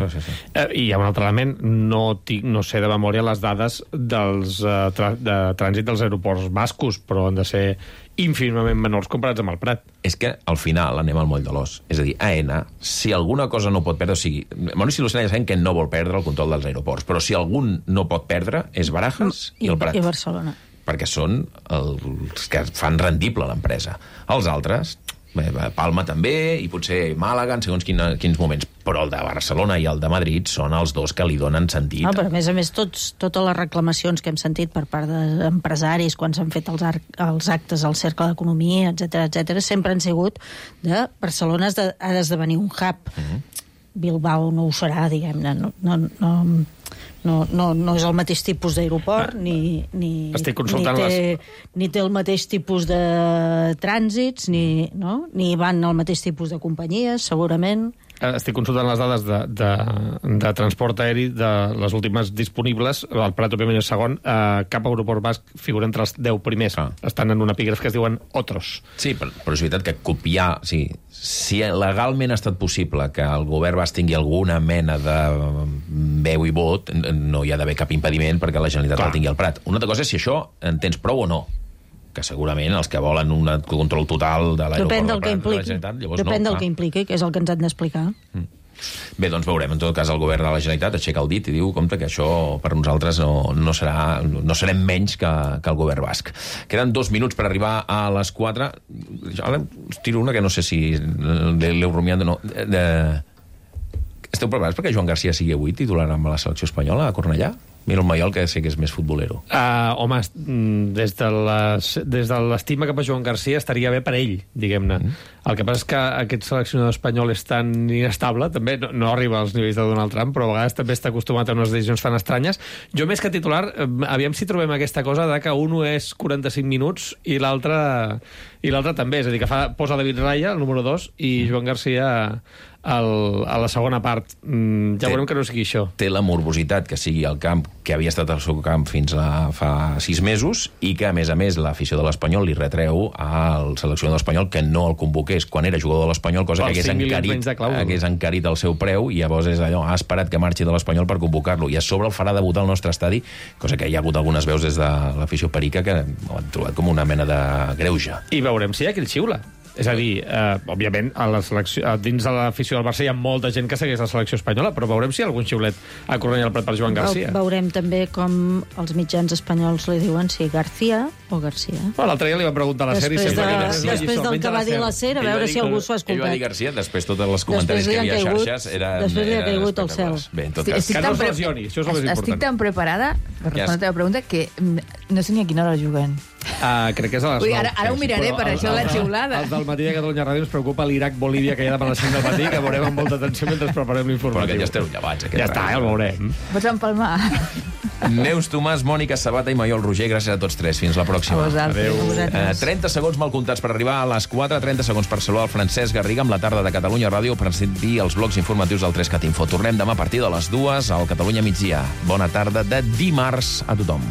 S9: I hi ha un altre element, no sé de memòria les dades de trànsit dels aeroports bascos, però han de ser ínfimament menors comparats amb el Prat.
S1: És que, al final, anem al moll de l'os. És a dir, AENA, si alguna cosa no pot perdre... O sigui, Maurici Lucena ja sabem que no vol perdre el control dels aeroports, però si algun no pot perdre és Barajas i el Prat.
S10: I Barcelona.
S1: Perquè són els que fan rendible l'empresa. Els altres... Palma també, i potser Màlaga en segons quins moments, però el de Barcelona i el de Madrid són els dos que li donen sentit.
S10: Però a més, totes les reclamacions que hem sentit per part d'empresaris quan s'han fet els actes al Cercle d'Economia, etc, sempre han sigut de Barcelona ha d'esdevenir un hub. Bilbao no ho serà, diguem-ne, no és el mateix tipus d'aeroport, ni té el mateix tipus de trànsits, ni van al mateix tipus de companyies, segurament.
S9: Estic consultant les dades de transport aeri de les últimes disponibles. El Prat, òbviament, és segon. Cap aeroport basc figura entre els 10 primers. Estan en un epígraf que es diuen Otros.
S1: Sí, però és veritat que copiar... Si legalment ha estat possible que el govern basc tingui alguna mena de veu i vot, no hi ha d'haver cap impediment perquè la Generalitat el tingui al Prat. Una altra cosa és si això en tens prou o no, que segurament els que volen un control total de l'aeroport del Prat de la Generalitat, llavors
S10: depèn del que impliqui, que és el que ens han d'explicar.
S1: Bé, doncs veurem. En tot cas, el govern de la Generalitat aixeca el dit i diu, compte, que això per nosaltres no serem menys que el govern basc. Queden 2 minuts per arribar a les 4. Ara us tiro una que no sé si l'heu rumiat o no. Esteu preparats perquè Joan Garcia sigui avui titular amb la selecció espanyola a Cornellà? Mira el Maiol, que sé que és més futbolero.
S9: Home, des de l'estima cap a Joan Garcia estaria bé per ell, diguem-ne. El que passa és que aquest seleccionador espanyol és tan inestable, també no arriba als nivells de Donald Trump, però a vegades també està acostumat a unes decisions tan estranyes. Jo, més que titular, aviam si trobem aquesta cosa de que un és 45 minuts i l'altre també. És a dir, que posa David Raya, el número 2, i Joan Garcia a la segona part. Ja veurem que no sigui això.
S1: Té la morbositat que sigui el camp que havia estat al seu camp fins a fa 6 mesos i que, a més, l'afició de l'Espanyol li retreu al seleccionador espanyol que no el convoqués quan era jugador de l'Espanyol, cosa que hagués encarit el seu preu, i llavors és allò, ha esperat que marxi de l'Espanyol per convocar-lo, i a sobre el farà debutar al nostre estadi, cosa que hi ha hagut algunes veus des de l'afició perica que ho han trobat com una mena de greuge.
S9: I veurem si hi ha qui el xiula. És a dir, òbviament, dins de l'afició del Barça hi ha molta gent que segueix la selecció espanyola, però veurem si hi ha algun xiulet a Cornellà al Prat per Joan Garcia.
S10: Veurem també com els mitjans espanyols li diuen si García o Garcia.
S9: L'altre dia li va preguntar a la SER...
S10: Després del que va dir la SER, a veure si algú s'ho ha escoltat.
S1: Ell va dir Garcia, després tots els comentaris que hi havia a xarxes eren...
S10: Després li ha caigut al cel.
S1: Bé, en tot cas,
S9: que no es lesioni, això és el més important.
S8: Estic tan preparada per respondre la teva pregunta que no sé ni a quina hora juguen.
S9: Crec que és a les 9.
S8: Ara ho miraré, per això la xiulada.
S9: Els del matí de Catalunya Ràdio ens preocupa l'Iraq-Bolívia que hi ha demà a les 5 del matí, que veurem amb molta atenció mentre preparem l'informatiu.
S1: Però que ja esteu llevats.
S9: Ja està, ja el veurem.
S8: Pots empalmar.
S1: Neus Tomàs, Mònica Sabata i Maiol Roger, gràcies a tots tres. Fins la pròxima.
S8: Adéu.
S1: 30 segons mal comptats per arribar a les 4, 30 segons per saludar el Francesc Garriga amb la tarda de Catalunya Ràdio per sentir els blocs informatius del 3CAT Info. Tornem demà a partir de les 2 al Catalunya Migdia. Bona tarda de dimarts a tothom.